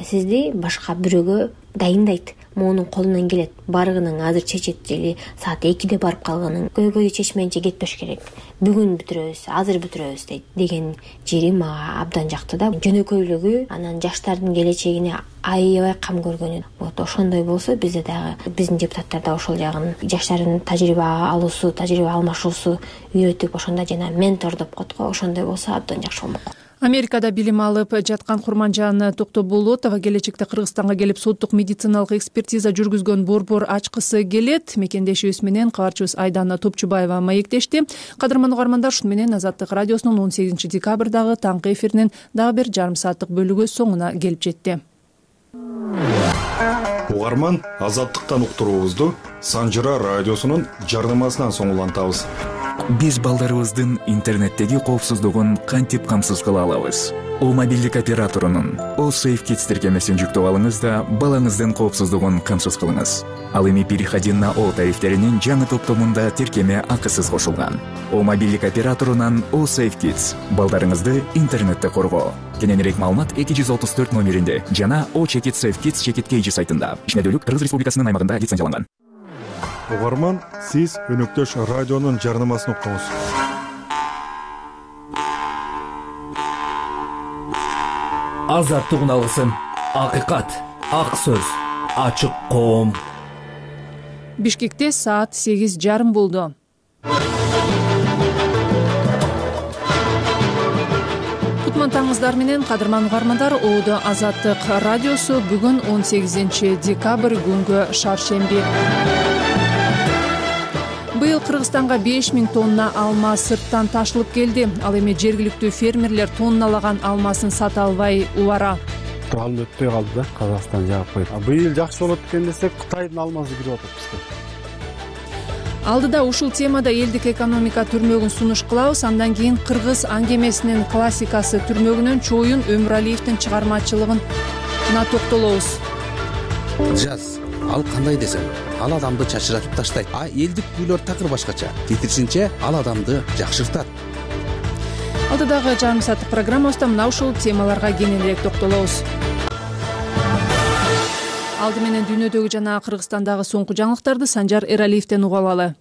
сизди башка бирөөгө дайындайт. Монун колунан келет. Барыгының азыр чечет, жели саат экиде барып калганын көйгөйдү чечмейинче кетпеш керек. Бүгүн бүтүрөбүз, азыр бүтүрөбүз дейт деген жери мага абдан жакты да. Жөнөкөйлүгү, анан жаштардын келечегине аябай кам көргөнү. Вот ошондой болсо бизде дагы биздин депутаттар да ошол жагын жаштардын тажрыйба алуусу, тажрыйба алмашуусу үйрөтүп, ошондо жана ментор деп коет го, ошондой болсо абдан жакшы болмок.
Америкада билим алып жаткан Курманжан Токтоболотова келечекте Кыргызстанга келип соттук медициналык экспертиза жүргүзгөн борбор ачкысы келет. Мекендешибиз менен кабарчыбыз Айдана Топчубаева маектешти. Кадырман угармандар, ушун менен Азаттык радиосунун он сегизинчи декабрдагы таңкы эфиринин дагы бир жарым сааттык бөлүгү соңуна келип жетти.
Угарман, Азаттыктан уктуруубузду Санжыра радиосунун жардамасынан соңулантабыз.
Биз балдарыбыздын интернеттеги коопсуздугун кантип камсыз кыла алабыз? О мобилдик операторунун О Safe Kids тиркемесин жүктөп алыңыз да балаңыздын коопсуздугун камсыз кылыңыз. Ал эми переходи на О тарифтеринин жаңы топтомунда тиркеме акысыз кошулган. О мобилдик операторунан О Safe Kids балдарыңызды интернетте коргоо. Кененирээк маалымат эки жүз отуз төрт номеринде жана О Check It Safe Kids Check It Cage сайтында. Ишмердүүлүк Кыргыз Республикасынын аймагында лицензияланган.
угарман, сиз Өнөктөш радионун жарнамасын уктуңуз.
Азаттык алгысын, акыйкат, ак сөз, ачык коом.
Бишкекте саат сегиз жарым болду. Кутман таңыңыздар менен, кадырман угармандар, Оодо Азаттык радиосу бүгүн он сегизинчи декабрь күнгө шаршемби. Быйыл Кыргызстанга беш миң тонна алма сырттан ташылып келди. Ал эми жергиликтүү фермерлер тонналаган алмасын сата албай убара.
Ал өтпөй калды да, Казакстан жаап койду. Быйыл жакшы болот экен десек, Кытайдын алмасы кирип атат бизге.
Алдыда ушул темада элдик экономика түрмөгүн сунуш кылабыз. Андан кийин кыргыз аңгемесинин классикасы түрмөгүнөн Чоюн Өмүралиевдин чыгармачылыгына токтолобуз.
Жаз, ал кандай десем, ал адамды чачыратып таштайт, а элдик күйлөр такыр башкача. Тетирсинче ал адамды жакшыртат.
Алдыдагы жарым сааттык программабызда мына ушул темаларга кененирээк токтолобуз. Алды менен дүйнөдөгү жана Кыргызстандагы соңку жаңылыктарды Санжар Эралиевден угуп алалы.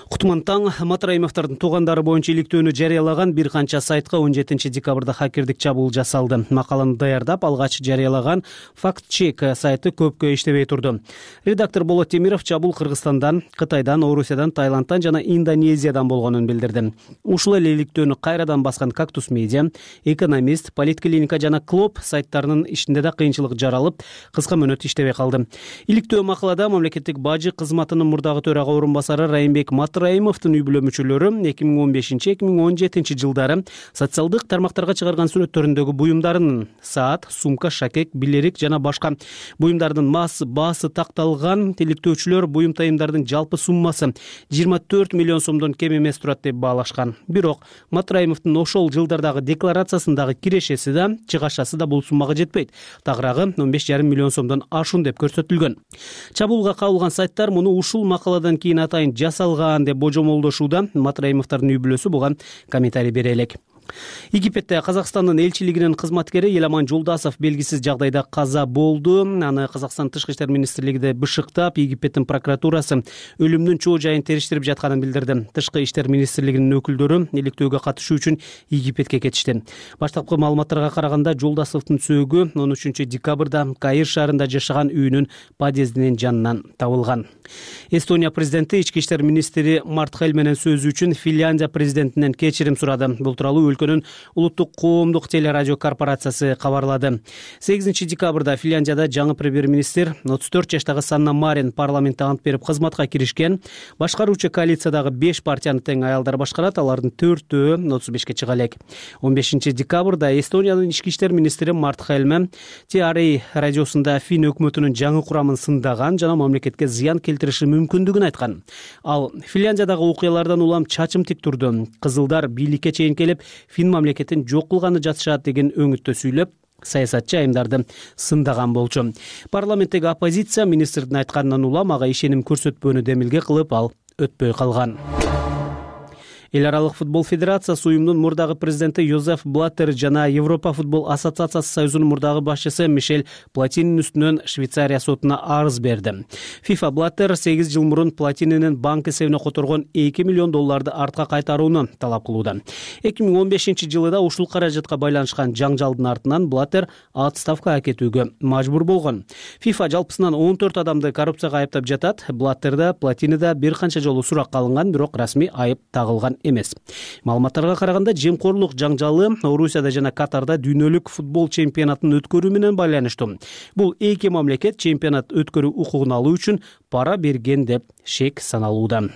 Кутман таң Матраимовдордун туугандары боюнча иликтөөнү жарыялаган бир канча сайтка он жетинчи декабрда хакердик чабуул жасалды. Макаланы даярдап, алгач жарыялаган факт-чек сайты көпкө иштебей турду. Редактор Болот Темиров чабуул Кыргызстандан, Кытайдан, Орусиядан, Таиландтан жана Индонезиядан болгонун билдирди. Ушул эле иликтөөнү кайрадан баскан Кактус Медиа, Экономист, Политклиника жана Клоп сайттарынын ишинде да кыйынчылык жаралып, кыска мөөнөт иштебей калды. Иликтөө макалада мамлекеттик бажы кызматынын мурдагы төрага орун басары Райымбек Матраимовдун үй бүлө мүчөлөрү эки миң он бешинчи эки миң он жетинчи жылдары социалдык тармактарга чыгарган сүрөттөрүндөгү буюмдарынын саат, сумка, шакек, билерик жана башка буюмдардын маасы, баасы такталган. Иликтөөчүлөр буюм тайымдардын жалпы суммасы жыйырма төрт миллион сомдон кем эмес турат деп баалашкан. Бирок Матраимовдун ошол жылдардагы декларациясындагы кирешеси да, чыгашасы да бул суммага жетпейт. Тагыраагы он беш жарым миллион сомдон ашуун деп көрсөтүлгөн. Чабуулга кабылган сайттар муну ушул макаладан кийин атайын жасалган деп божомолдошууда. Матраимовдордун үй бүлөсү буга комментарий бере элек. Египетте Казакстандын элчилигинин кызматкери Еламан Жолдасов белгисиз жагдайда каза болду. Аны Казакстан тышкы иштер министрлиги бышыктап, Египеттин прокуратурасы өлүмдүн чоо жайын териштирип жатканын билдирди. Тышкы иштер министрлигинин өкүлдөрү иликтөөгө катышуу үчүн Египетке кетишти. Баштапкы маалыматтарга караганда Жолдасовдун сөөгү он үчүнчү декабрда Каир шаарында жашаган үйүнүн подъездинин жанынан табылган. Эстония президенти ички иштер министри Март Хель менен сөзү үчүн Финляндия президентинен кечирим сурады. Бул тууралуу өлкөнүн улуттук коомдук телерадио корпорациясы кабарлады. сегизинчи декабрда Финляндияда жаңы премьер-министр отуз төрт жаштагы Санна Марин парламентте ант берип кызматка киришкен. Башкаруучу коалициядагы беш партияны тең аялдар башкарат, алардын төртөө отуз бешке чыга элек. он бешинчи декабрда Эстониянын ички иштер министри Март Хель Ти Ар А радиосунда Фин өкмөтүнүн жаңы курамын сындаган жана мамлекетке зыян келтириши мүмкүндүгүн айткан. Ал Финляндиядагы окуялардан улам чачым тик турду. Кызылдар бийликке чейин келип, Фин мамлекетин жок кылганы жатышат деген өңүттө сүйлөп, саясатчы айымдарды сындаган болчу. Парламенттеги оппозиция министрдин айтканынан улам ага ишеним көрсөтпөөнү демилге кылып, ал өтпөй калган. Эл аралык футбол федерациясы уюмдун мурдагы президенти Йозеф Блаттер жана Европа футбол ассоциациясы союзунун мурдагы башчысы Мишель Платининин үстүнөн Швейцария сотуна арыз берди. FIFA Блаттер сегиз жыл мурун Платининин банк эсебине которгон эки миллион долларды артка кайтарууну талап кылууда. эки миң он бешинчи жылы да ушул каражатка байланышкан жаңжалдын артынан Блаттер отставкага кетүүгө мажбур болгон. FIFA жалпысынан он төрт адамды коррупцияга айыптап жатат. Блаттерде, Платиниде бир канча жолу суракка алынган, бирок расмий айып тагылган эмес. Маалыматтарга караганда, жемкорлук жаңжалы Орусияда жана Катарда дүйнөлүк футбол чемпионатын өткөрүү менен байланыштуу. Бул эки мамлекет чемпионат өткөрүү укугун алуу үчүн пара берген деп шек саналууда.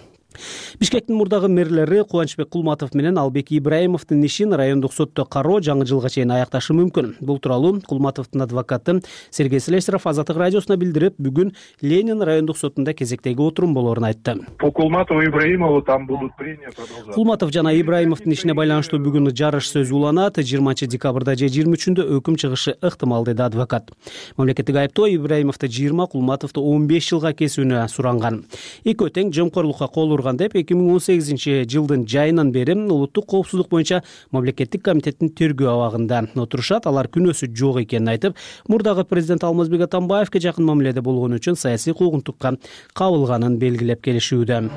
Бишкектин мурдагы мэрлери Кубанычбек Кулматов менен Албек Ибраимовдун ишин райондук сотто кароо жаңы жылга чейин аякташы мүмкүн. Бул тууралуу Кулматовдун адвокаты Сергей Слесаров Азаттык радиосуна билдирип, бүгүн Ленин райондук сотунда кезектеги отурум болоорун айтты.
По Кулматову и Ибраимову там будут прения продолжать.
Кулматов жана Ибраимовдун ишине байланыштуу бүгүн жарыш сөз уланат. жыйырманчы декабрда же жыйырма үчүндө өкүм чыгышы ыктымал, деди адвокат. Мамлекеттик айыптоо Ибраимовду жыйырма, Кулматовду он беш жылга кесүүнү суранган. Экөө тең жемкорлукка кол турган деп эки миң он сегизинчи жылдын жайынан бери улуттук коопсуздук боюнча мамлекеттик комитеттин тергөө абагында отурушат. Алар күнөөсү жок экенин айтып, мурдагы президент Алмазбек Атамбаевге жакын мамиледе болгон үчүн саясий куугунтукка кабылганын белгилеп келишүүдө.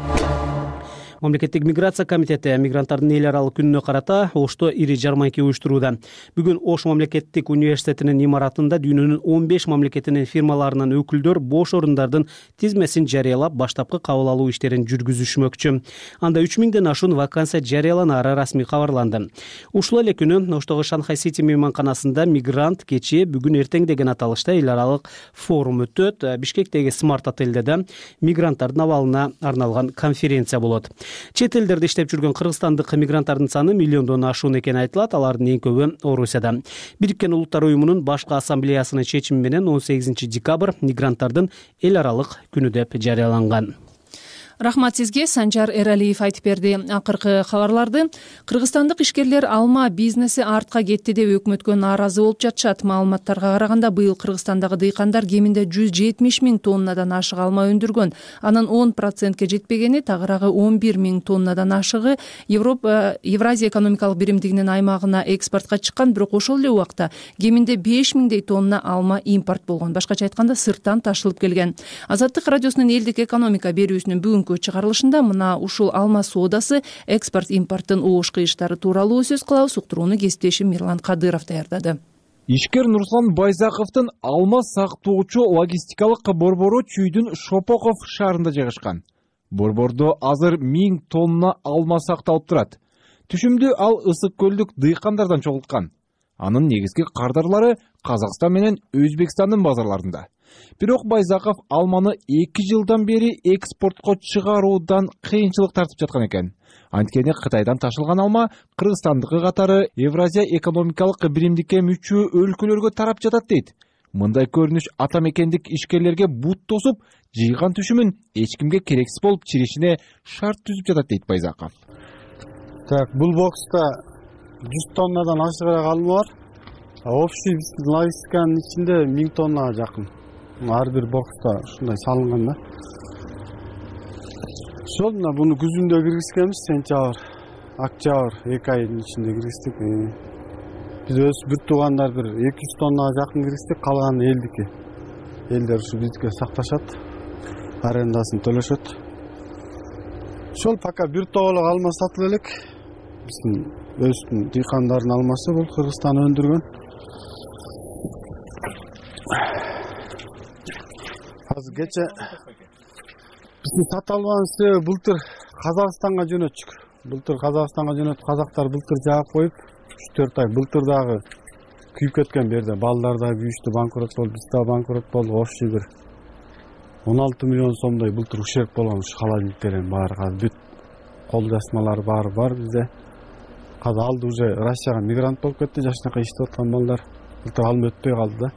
Мамлекеттик миграция комитети мигранттардын эл аралык күнүнө карата Ошто ири жармайка уюштурууда. Бүгүн Ош мамлекеттик университетинин имаратында дүйнөнүн он беш мамлекетинин фирмаларынын өкүлдөр бош орундардын тизмесин жарыялап, баштапкы кабыл алуу иштерин жүргүзүшмөкчү. Анда үч миңден ашуун вакансия жарыяланары расмий кабарланды. Ушул эле күнү Оштогу Шанхай Сити мейманканасында мигрант кечи бүгүн эртең деген аталышта эл аралык форум өтөт. Бишкектеги Смарт отелде да мигранттардын абалына арналган конференция болот. Чет элдерде иштеп жүргөн кыргызстандык мигранттардын саны миллиондон ашуун экени айтылат. Алардын эң көбү Орусияда. Бириккен Улуттар уюмунун башкы ассамблеясынын чечими менен он сегизинчи декабрь мигранттардын эл аралык күнү деп жарыяланган.
Рахмат сизге, Санжар Эралиев айтып берди. Акыркы кабарларды кыргызстандык ишкерлер алма бизнеси артка кетти деп өкмөткө нааразы болуп жатышат. Маалыматтарга караганда быйыл Кыргызстандагы дыйкандар кеминде жүз жетимиш миң тоннадан ашык алма өндүргөн. Анын он процентке жетпегени, тагыраагы он бир миң тоннадан ашыгы Европа Евразия экономикалык биримдигинин аймагына экспортко чыккан, бирок ошол эле убакта кеминде беш миңдей тонна алма импорт болгон. Башкача айтканда, сырттан ташылып келген. Азаттык радиосунун элдик экономика берүүсүнүн бүгүнкү чыгарылышында мына ушул алма соодасы, экспорт импорттун оош кыйыштары тууралуу сөз кылабыз. Уктурууну кесиптешим Мирлан Кадыров даярдады.
Ишкер Нурслан Байзаковдун алма сактоочу логистикалык борбору Чүйдүн Шопоков шаарында жайгашкан. Борбордо азыр миң тонна алма сакталып турат. Түшүмдү ал Ысык көлдүк дыйкандардан чогулткан. Анын негизги кардарлары Казакстан менен Өзбекстандын базарларында. Бирок Байзаков алманы эки жылдан бери экспортко чыгаруудан кыйынчылык тартып жаткан экен. Анткени Кытайдан ташылган алма Кыргызстандыкы катары Евразия экономикалык биримдикке мүчө өлкөлөргө тарап жатат дейт. Мындай көрүнүш ата мекендик ишкерлерге бут тосуп, жыйган түшүмүн эч кимге керексиз болуп чиришине шарт түзүп жатат дейт Байзаков.
Так, бул бокста жүз тоннадан ашыгыраак алма бар. Общий логистиканын ичинде миң тоннага жакын. Ар бир бокста ушундай салынган да. Ошол мына буну күзүндө киргизгенбиз, сентябрь, октябрь эки айдын ичинде киргиздик. Биз өз бүт туугандар бир эки жүз тоннага жакын киргиздик, калганы элдики. Элдер ушу бизге сакташат, арендасын төлөшөт. Ошол пока бир тоголок алма сатылып элек. Биздин өздүн дыйкандардын алмасы бул Кыргызстан өндүргөн. Азыр кече биздин сата албаган себеби былтыр Казакстанга жөнөттүк. Былтыр Казакстанга жөнөтүп, казактар былтыр жаап коюп, үч төрт ай былтыр дагы күйүп кеткен берде. Балдар да күйүштү, банкрот болду, биз да банкрот болдук. Общий бир он алты миллион сомдой былтыр ущерб болгон ушу холодильниктердин баары. Азыр бүт кол жазмалар баары бар бизде. Азыр алды уже Россияга мигрант болуп кетти, жашынакай иштеп аткан балдар. Былтыр алым өтпөй калды да.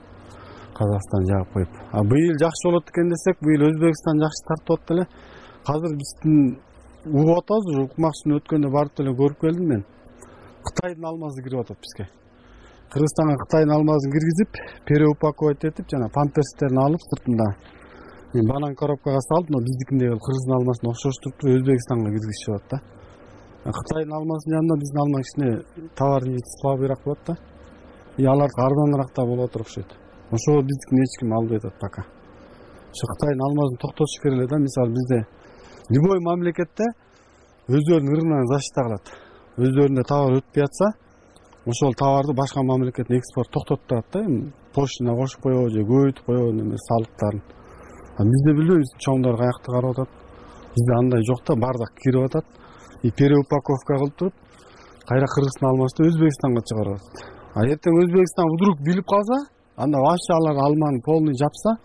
Казакстан жаап коюп. А быйыл жакшы болот экен десек, быйыл Өзбекстан жакшы тартып атат эле. Азыр биздин угуп атабыз, уже укмакчыны өткөндө барып эле көрүп келдим мен. Кытайдын алмасы кирип атат бизге. Кыргызстанга Кытайдын алмасын киргизип, переупаковать этип, жана памперстерин алып сыртында мен банан коробкага салып, но биздикиндей Кыргыздын алмасына окшоштуруп Өзбекстанга киргизишип атат да. Кытайдын алмасынын жанында биздин алма кичине товарный вид слабыйраак болот да. И алар арзаныраак да болуп атыр окшойт. Ошол биздикин эч ким албай атат пока. Ошо Кытайдын алмасын токтотуш керек эле да. Мисалы бизде любой мамлекетте өздөрүнүн рыногун защита кылат. Өздөрүндө товар өтпөй атса, ошол товарды башка мамлекетке экспорт токтотуп турат да. Поштина кошуп коебу же көбөйтүп коебу неме салыктарын. А бизде билбейбиз чоңдор каякта карап атат. Бизде андай жок да, бардак кирип атат. И переупаковка кылып туруп, кайра Кыргыздын алмасын Өзбекстанга чыгарып атат. А эртең Өзбекстан вдруг билип калса, анда вообще алар алманы полный жапса,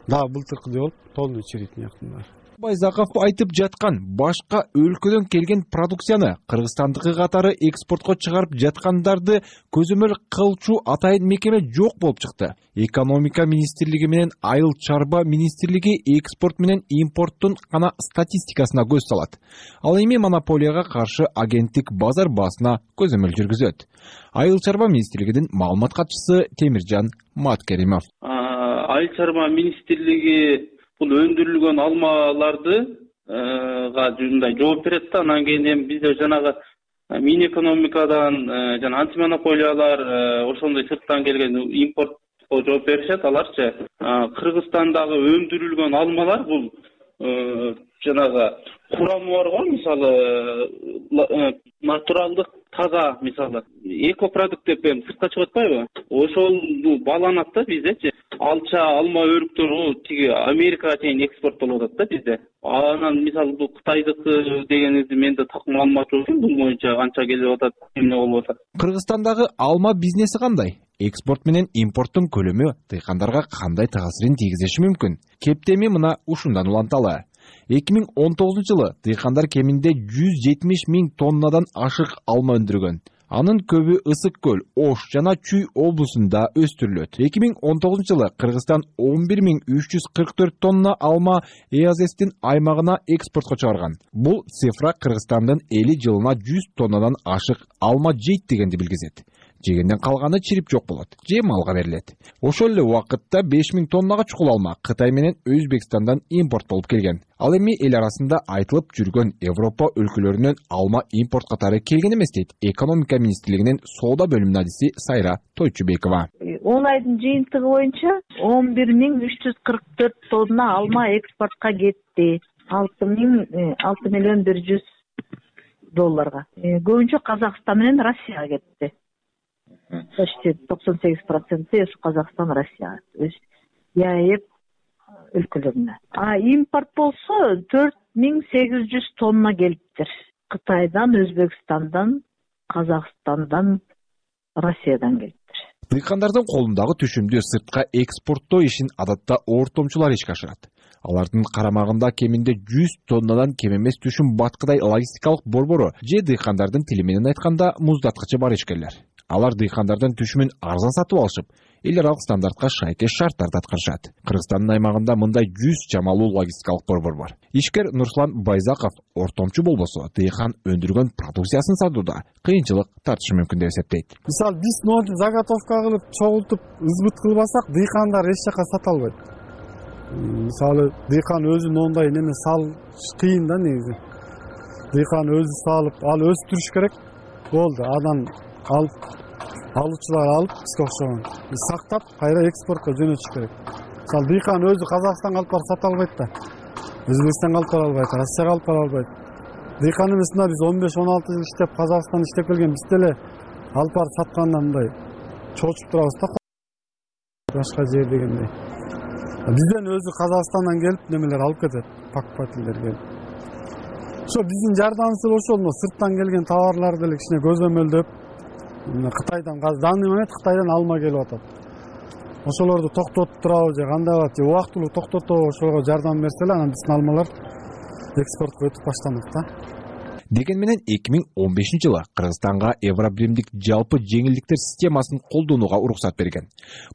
да былтыркыдай болуп полный чирийт мыяктын.
Байзаков айтып жаткан башка өлкөдөн келген продукцияны Кыргызстандыкы катары экспортко чыгарып жаткандарды көзөмөл кылчу атайын мекеме жок болуп чыкты. Экономика министрлиги менен Айыл чарба министрлиги экспорт менен импорттун гана статистикасына көз салат. Ал эми монополияга каршы агенттик базар баасына көзөмөл жүргүзөт. Айыл чарба министрлигинин маалымат катчысы Темиржан Маткеримов.
Айыл чарба министрлиги бул өндүрүлгөн алмаларды мындай жооп берет да. Анан кийин эми бизде жанагы мин экономикадан жана антимонополиялар ошондой сырттан келген импортко жооп беришет аларчы. Кыргызстандагы өндүрүлгөн алмалар бул жанагы курамы бар го, мисалы натуралдык таза, мисалы экопродукт деп эми сыртка чыгып атпайбы? Ошол бааланат да биздечи. Алча, алма өрүктөрү тиги Америкага чейин экспорттолуп атат да бизде. Анан мисалы бул Кытайдыкы дегенинизди мен да так маалымат жок экен, бул боюнча канча келип атат, эмне болуп атат.
Кыргызстандагы алма бизнеси кандай? Экспорт менен импорттун көлөмү дыйкандарга кандай таасирин тийгизиши мүмкүн? Кептеми мына ушундан уланталы. эки миң он тогузунчу жылы дыйкандар кеминде жүз жетимиш миң тоннадан ашык алма өндүргөн. Анын көбү Ысык көл, Ош жана Чүй облусунда өстүрүлөт. эки миң он тогузунчу жылы Кыргызстан он бир миң үч жүз кырк төрт тонна алма ЭАЗэстин аймагына экспортко чыгарган. Бул цифра Кыргызстандын эли жылына жүз тоннадан ашык алма жейт дегенди билгизет. Жегенден калганы чирип жок болот, же малга берилет. Ошол эле убакытта беш миң тоннага чукул алма Кытай менен Өзбекстандан импорттолуп келген. Ал эми эл арасында айтылып жүргөн Европа өлкөлөрүнөн алма импорт катары келген эмес дейт экономика министрлигинин соода бөлүмүнүн адиси Сайра Тойчубекова.
он айдын жыйынтыгы боюнча он бир миң үч жүз кырк төрт тонна алма экспортко кетти. алты миллион бир жүз долларга. Көбүнчө Казакстан менен Россияга кетти. Почти токсон сегиз проценти Казакстан, Россия, ЕАЭП өлкөлөрүнө. А импорт болсо төрт миң сегиз жүз тонна келиптир. Кытайдан, Өзбекстандан, Казакстандан, Россиядан келиптир.
Дыйкандардын колундагы түшүмдү сыртка экспорттоо ишин адатта ортомчулар ишке ашырат. Алардын карамагында кеминде жүз тоннадан кем эмес түшүм баткыдай логистикалык борбору же дыйкандардын тили менен айтканда муздаткычы бар ишкерлер. Алар дыйкандардын түшүмүн арзан сатып алышып, эл аралык стандартка шайкеш шарттарды аткарышат. Кыргызстандын аймагында мындай жүз чамалуу логистикалык борбор бар. Ишкер Нурслан Байзаков ортомчу болбосо, дыйкан өндүргөн продукциясын сатууда кыйынчылык тартышы мүмкүн деп эсептейт.
Мисалы биз ноуту заготовка кылып, чогултуп, ызбыт кылбасак, дыйкандар эч жака сата албайт. Мисалы дыйкан өзү моундай неме сал кыйын да негизи. Дыйкан өзү салып, ал өстүрүш керек. Болду, анан алып алуучулар алып бизге окшогон сактап кайра экспортко жөнөтүш керек. Мисалы дыйкан өзү Казакстанга алып барып сата албайт да. Өзбекстанга алып бара албайт, Россияга алып бара албайт. Дыйкан эмесинде биз он беш он алты жыл иштеп, Казакстанда иштеп келген биз деле алып барып сатканда мындай чочуп турабыз да. Башка жер дегендей. Бизден өзү Казакстандан келип немелер алып кетет, покупательдер келип. Ошо биздин жардамыбыз ошол, сырттан келген товарларды деле кичине көзөмөлдөп, Кытайдан, данный момент Кытайдан алма келип атат. Ошолорду токтотуп турабы же кандай болот, же убактылуу токтотобу, ошого жардам берсе эле анан биздин алмалар экспортко өтүп баштамак да.
Деген менен эки миң он бешинчи жылы Кыргызстанга Евробиримдик жалпы жеңилдиктер системасын колдонууга уруксат берген.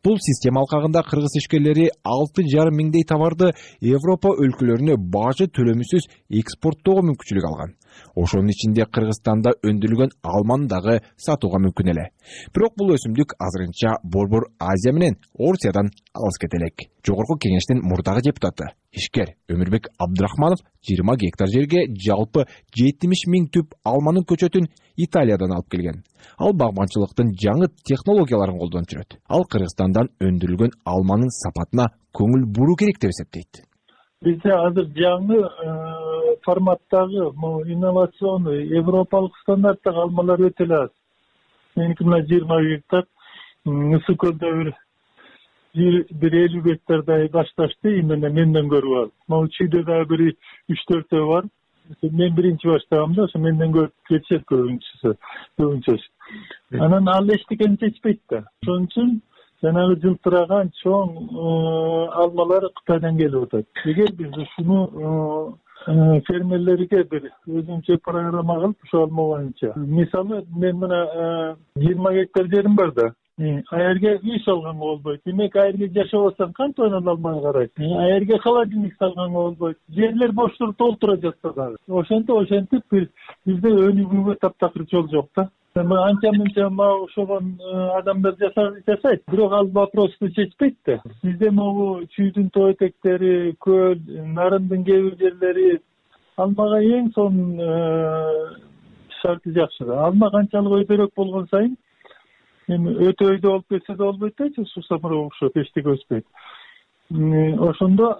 Бул система алкагында кыргыз ишкерлери алты жарым миңдей товарды Европа өлкөлөрүнө бажы төлөмүсүз экспорттоого мүмкүнчүлүк алган. Ошонун ичинде Кыргызстанда өндүрүлгөн алманы дагы сатууга мүмкүн эле. Бирок бул өсүмдүк азырынча Борбор Азия менен Орусиядан алыс кете элек. Жогорку кеңештин мурдагы депутаты ишкер Өмүрбек Абдрахманов жыйырма гектар жерге жалпы жетимиш миң түп алманын көчөтүн Италиядан алып келген. Ал багбанчылыктын жаңы технологияларын колдонуп жүрөт. Ал Кыргызстандан өндүрүлгөн алманын сапатына көңүл буруу керек деп эсептейт.
Бизде азыр жаңы форматтагы инновационный европалык стандарттагы алмалар өтө эле аз. Меники мына жыйырма гектар, Ысык көлдө бир бир элүү гектардай башташты, именно менден көрүп ал. Могу Чүйдө дагы бир үч төртөө бар. Мен биринчи баштагам да, ошо менден көрүп кетишет көбүнчөсү. Көбүнчөсү. Анан ал эчтекени чечпейт да. Ошон үчүн жанагы жылтыраган чоң алмалар Кытайдан келип атат. Эгер биз ушуну фермерлерге бир өзүнчө программа кылып, ошол алма боюнча. Мисалы, мен мына жыйырма гектар жерим бар да. Аерге үй салганга болбойт. Демек, аерге жашабасаң кантип анан алманы карайт? Аерге холодильник салганга болбойт. Жерлер боштур толтура жатса дагы. Ошентип, ошентип бизде өнүгүүгө таптакыр жол жок да. Анча-мынча ошогон адамдар жасайт, бирок ал вопросту чечпейт да. Бизде могу Чүйдүн тоо этектери, көл, Нарындын кээ бир жерлери алмага эң сонун шарты жакшы да. Алма канчалык өйдөрөөк болгон сайын эми өтө өйдө болуп кетсе да болбойт да, суу самыры окшоп эчтеке өспөйт. Ошондо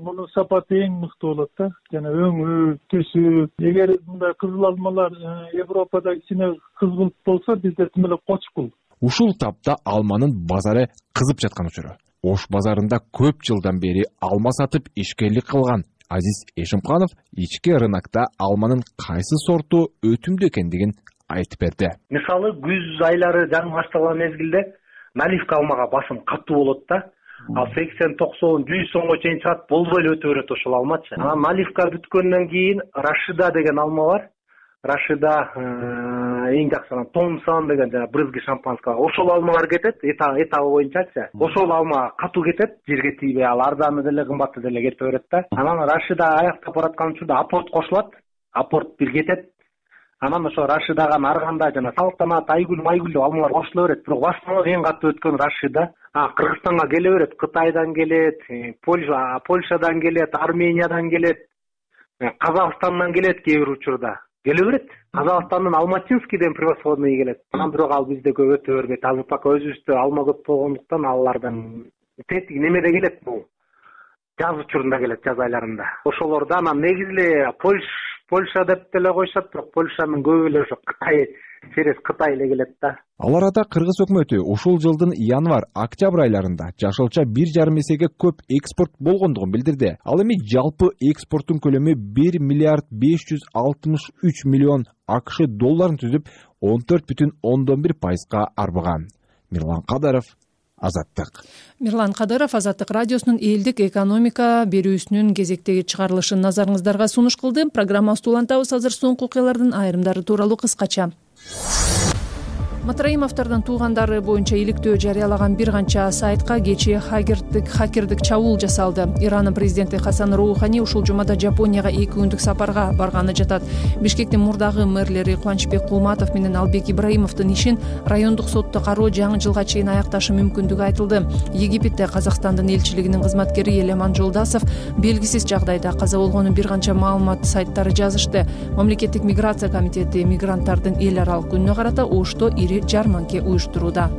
мунун сапаты эң мыкты болот да. Жана өңү, түсү. Эгер мындай кызыл алмалар Европада кичине кызгылт болсо, бизде тим эле кочкул.
Ушул тапта алманын базары кызып жаткан учуру. Ош базарында көп жылдан бери алма сатып ишкерлик кылган Азиз Эшимканов ички рынокто алманын кайсы сорту өтүмдүү экендигин айтып берди.
Мисалы, күз айлары жаңы башталган мезгилде наливка алмага басым катуу болот да. Ал сексен, токсон, жүз сомго чейин чыгат, болбой эле өтө берет ошол алмачы. Анан наливка бүткөндөн кийин Рашида деген алма бар. Рашида эң жакшы Томсон деген жана брызги шампанского. Ошол алмалар кетет, этабы боюнчачы. Ошол алма катуу кетет, жерге тийбей, ал арзаны деле, кымбаты деле кете берет да. Анан Рашида аяктап бараткан учурда апорт кошулат. Апорт бир кетет. Анан ошо Рашидага нарганда жана Салтанат, Айгүл, Майгүл деп алмалар кошула берет. Бирок башынан эң катуу өткөн Рашида. А Кыргызстанга келе берет, Кытайдан келет, Польша, Польшадан келет, Армениядан келет, Казакстандан келет кээ бир учурда. Келе берет. Казакстандын Алматинский деген превосходный келет. Анан бирок ал бизде көп өтө бербейт. Азыр пока өзүбүздө алма көп болгондуктан алардан тетиги немеде келет бул. Жаз учурунда келет, жаз айларында. Ошолорда анан негизи эле Польш Польша деп деле коюшат, бирок Польшанын көбү эле ошо Кытай, через Кытай эле келет да.
Ал арада Кыргыз өкмөтү ушул жылдын январь-октябрь айларында жашылча бир жарым эсеге көп экспорт болгондугун билдирди. Ал эми жалпы экспорттун көлөмү бир миллиард беш жүз алтымыш үч миллион АКШ долларын түзүп, он төрт бүтүн ондон бир пайызга арбыган. Мирлан Кадаров, Азаттык.
Мирлан Кадыров Азаттык радиосунун элдик экономика берүүсүнүн кезектеги чыгарылышын назарыңыздарга сунуш кылды. Программабызды улантабыз. Азыр соңку окуялардын айрымдары тууралуу кыскача. Матраимовдордун туугандары боюнча иликтөө жарыялаган бир канча сайтка кечээ хакердик хакердик чабуул жасалды. Иранын президенти Хасан Роухани ушул жумада Жапонияга эки күндүк сапарга барганы жатат. Бишкектин мурдагы мэрлери Кубанычбек Кулматов менен Албек Ибраимовдун ишин райондук сотто кароо жаңы жылга чейин аякташы мүмкүндүгү айтылды. Египетте Казакстандын элчилигинин кызматкери Элеман Жолдасов белгисиз жагдайда каза болгонун бир канча маалымат сайттары жазышты. Мамлекеттик миграция комитети мигранттардын эл аралык күнүнө карата Ошто ири жарманке уюштурууда.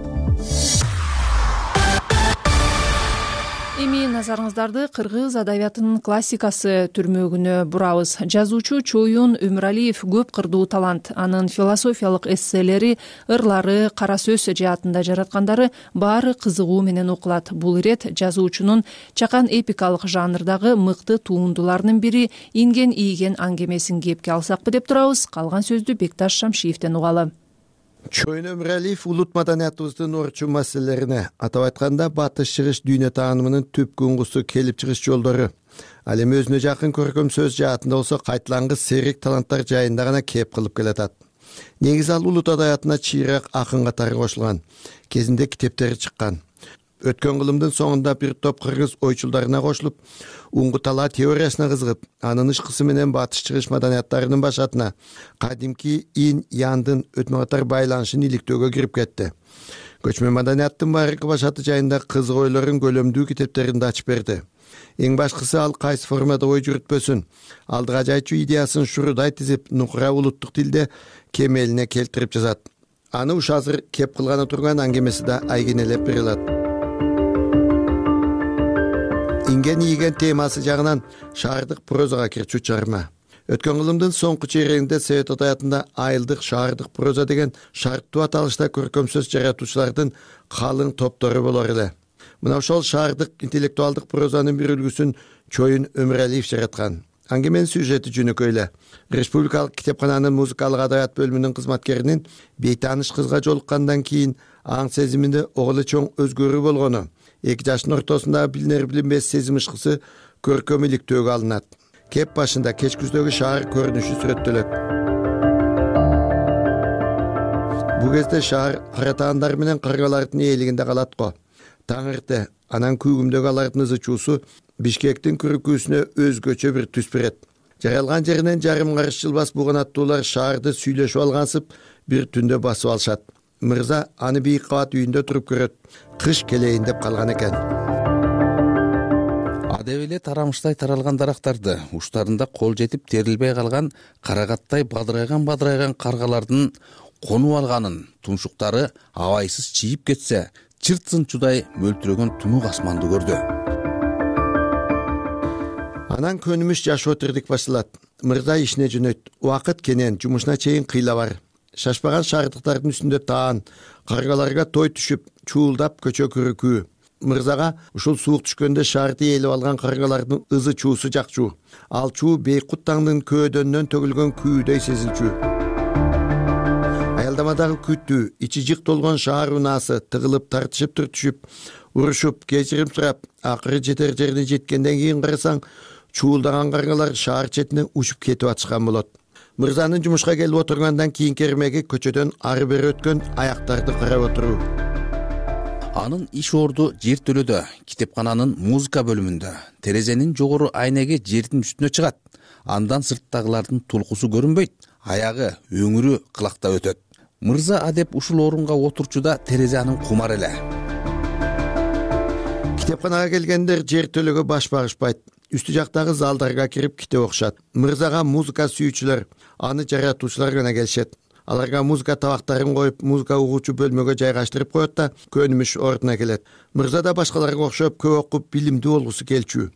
Эми назарыңыздарды кыргыз адабиятынын классикасы түрмөгүнө бурабыз. Жазуучу Чоюн Өмүралиев көп кырдуу талант. Анын философиялык эсселери, ырлары, кара сөз жаатында жараткандары баары кызыгуу менен окулат. Бул ирет жазуучунун чакан эпикалык жанрдагы мыкты туундуларынын бири Инген ийген аңгемесин кепке алсакпы деп турабыз. Калган сөздү Бекташ Шамшиевден угалы.
Чоюн Өмүралиев улут маданиятыбыздын орчун маселелерине, атап айтканда батыш чыгыш дүйнө таанымынын түп куңгусу келип чыгыш жолдору, ал эми өзүнө жакын көркөм сөз жаатында болсо кайталангыс серик таланттар жайында гана кеп кылып келатат. Негизи ал улут адабиятына чыйраак акын катары кошулган, кезинде китептери чыккан. Өткөн кылымдын соңунда бир топ кыргыз ойчулдарына кошулуп, уңгу талаа теориясына кызыгып, анын ышкысы менен батыш чыгыш маданияттарынын башатына, кадимки ин яндын өтмө катар байланышын иликтөөгө кирип кетти. Көчмө маданияттын байыркы башаты жайында кызык ойлорун көлөмдүү китептеринде ачып берди. Эң башкысы ал кайсы формада ой жүрүтпөсүн, алдыга жайчу идеясын шурудай тизип, нукура улуттук тилде кемелине келтирип жазат. Аны уш азыр кеп кылганы турган аңгемеси да айгинелеп бере алат. Инген ийген темасы жагынан шаардык прозага кирчү чарма. Өткөн кылымдын соңку чейрегинде Совет адабиятында айылдык шаардык проза деген шарттуу аталышта көркөм сөз жаратуучулардын калың топтору болор эле. Мына ошол шаардык интеллектуалдык прозанын бир үлгүсүн Чоюн Өмүралиев жараткан. Аңгеменин сюжети жөнөкөй эле. Республикалык китепкананын музыкалык адабият бөлүмүнүн кызматкеринин бейтааныш кызга жолуккандан кийин аң сезиминде огулы чоң өзгөрүү болгону, эки жаштын ортосундагы билинер билинбес сезим ышкысы көркөм иликтөөгө алынат. Кеп башында кеч күздөгү шаар көрүнүшү сүрөттөлөт. Бул кезде шаар каратаандар менен каргалардын ээлигинде калат го. Таң эрте анан күүгүмдөгү алардын ызы чуусу Бишкектин күрүкүүсүнө өзгөчө бир түс берет. Жаралган жеринен жарым карыш жылбас буганаттуулар шаарды сүйлөшүп алгансып бир түндө басып алышат. Мырза аны бийик кабат үйүндө туруп көрөт. Кыш келейин деп калган экен.
кадеп эле тарамыштай таралган дарактарды, уштарында кол жетип терилбей калган карагаттай бадырайган бадырайган каргалардын конуп алганын, тумшуктары абайсыз чийип кетсе, чырт сынчудай мөлтүрөгөн тунук асманды көрдү.
Анан көнүмүш жашоо тирдик башталат. Мырза ишине жөнөйт. Убакыт кенен, жумушуна чейин кыйла бар. Шашпаган шаардыктардын үстүндө таан, каргаларга той түшүп, чуулдап көчө күрүкүү. Мырзага ушул суук түшкөндө шаарды ээлеп алган каргалардын ызы чуусу жакчу. Ал чуу Бейкут таңдын көөдөнүнөн төгүлгөн күүдөй сезилчү. Аялдамадагы күтүү, ичи жык толгон шаар унаасы тыгылып, тартышып түртүшүп, урушуп, кечирим сурап, акыры жетер жерине жеткенден кийин карасаң, чуулдаган каргалар шаар четине учуп кетип атышкан болот. Мырзанын жумушка келип отургандан кийинки эрмеги көчөдөн ары бери өткөн аяктарды карап отуруу.
Анын иш орду жер төлөдө, китепкананын музыка бөлүмүндө. Терезенин жогору айнеги жердин үстүнө чыгат. Андан сырттагылардын тулкусу көрүнбөйт, аягы, өңүрү кылактап өтөт. Мырза адеп ушул орунга отурчуда терезе анын кумар эле.
Китепканага келгендер жер төлөгө баш багышпайт. Үстү жактагы залдарга кирип китеп окушат. Мырзага музыка сүйүүчүлөр, аны жаратуучулар гана келишет. Аларга музыка табактарын коюп, музыка угуучу бөлмөгө жайгаштырып коет да, көнүмүш ордуна келет. Мырза да башкаларга окшоп көп окуп, билимдүү болгусу келчү.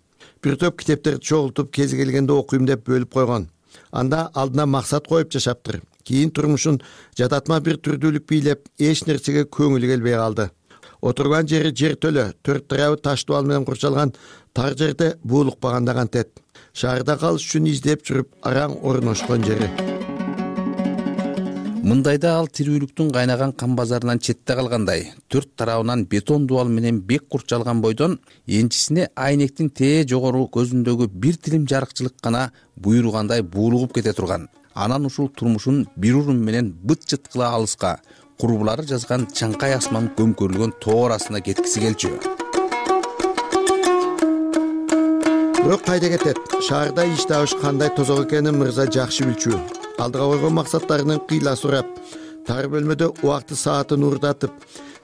Бир топ китептерди чогултуп, кези келгенде окуйм деп бөлүп койгон. Анда алдына максат коюп жашаптыр. Кийин турмушун жататма бир түрдүүлүк бийлеп, эч нерсеге көңүлү келбей калды. Отурган жери жер төлө, төрт тарабы таш дубал менен курчалган тар жерде буулукпаганда кантет. Шаарда калыш үчүн издеп жүрүп, араң орношкон жери.
Мындайда ал тирүүлүктүн кайнаган кан базарынан четте калгандай, төрт тарабынан бетон дубал менен бек курчалган бойдон энчисине айнектин тээ жогору көзүндөгү бир тилим жарыкчылык гана буйругандай буулугуп кете турган. Анан ушул турмушун бир урун менен быт жыткыла алыска, курбулары жазган чаңкай асман көмкөрүлгөн тоо арасына кеткиси келчү.
Бирок кайда кетет? Шаарда иш табыш кандай тозок экенин мырза жакшы билчү. Алдыга койгон максаттарынын кыйла сурап, тар бөлмөдө убакты саатын уурдатып,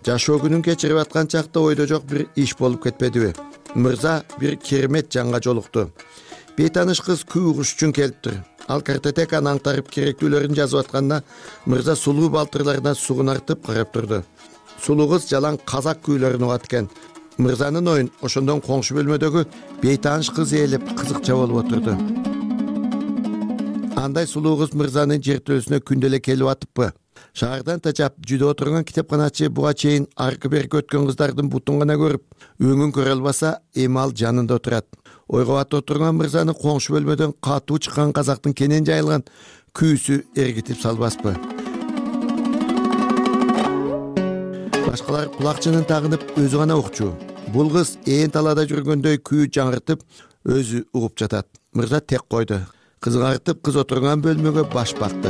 жашоо күнүн кечирип аткан чакта ойдо жок бир иш болуп кетпедиби? Мырза бир керемет жанга жолукту. Бейтаныш кыз күү угуш үчүн келиптир. Ал картотеканы аңтарып керектүүлөрүн жазып атканда, мырза сулуу балтырларына сугунартып карап турду. Сулуу кыз жалаң казак күүлөрүн угат экен. Мырзанын оюн ошондон коңшу бөлмөдөгү бейтаныш кыз ээлеп кызыкча болуп отурду. Андай сулуу кыз мырзанын жер төлөсүнө күндө эле келип атыппы? Шаардан тачап жүдө отурган китепканачы буга чейин аркы берки өткөн кыздардын бутун гана көрүп, өңүн көрө албаса, эми ал жанында отурат. Ойго батып отурган мырзаны коңшу бөлмөдөн катуу чыккан казактын кенен жайылган күүсү эргитип салбаспы? Башкалар кулакчынын тагынып өзү гана укчу. Бул кыз ээн талаада жүргөндөй күү жаңыртып, өзү угуп жатат. Мырза тек койду. Кызыгартып кыз отурган бөлмөгө баш бакты.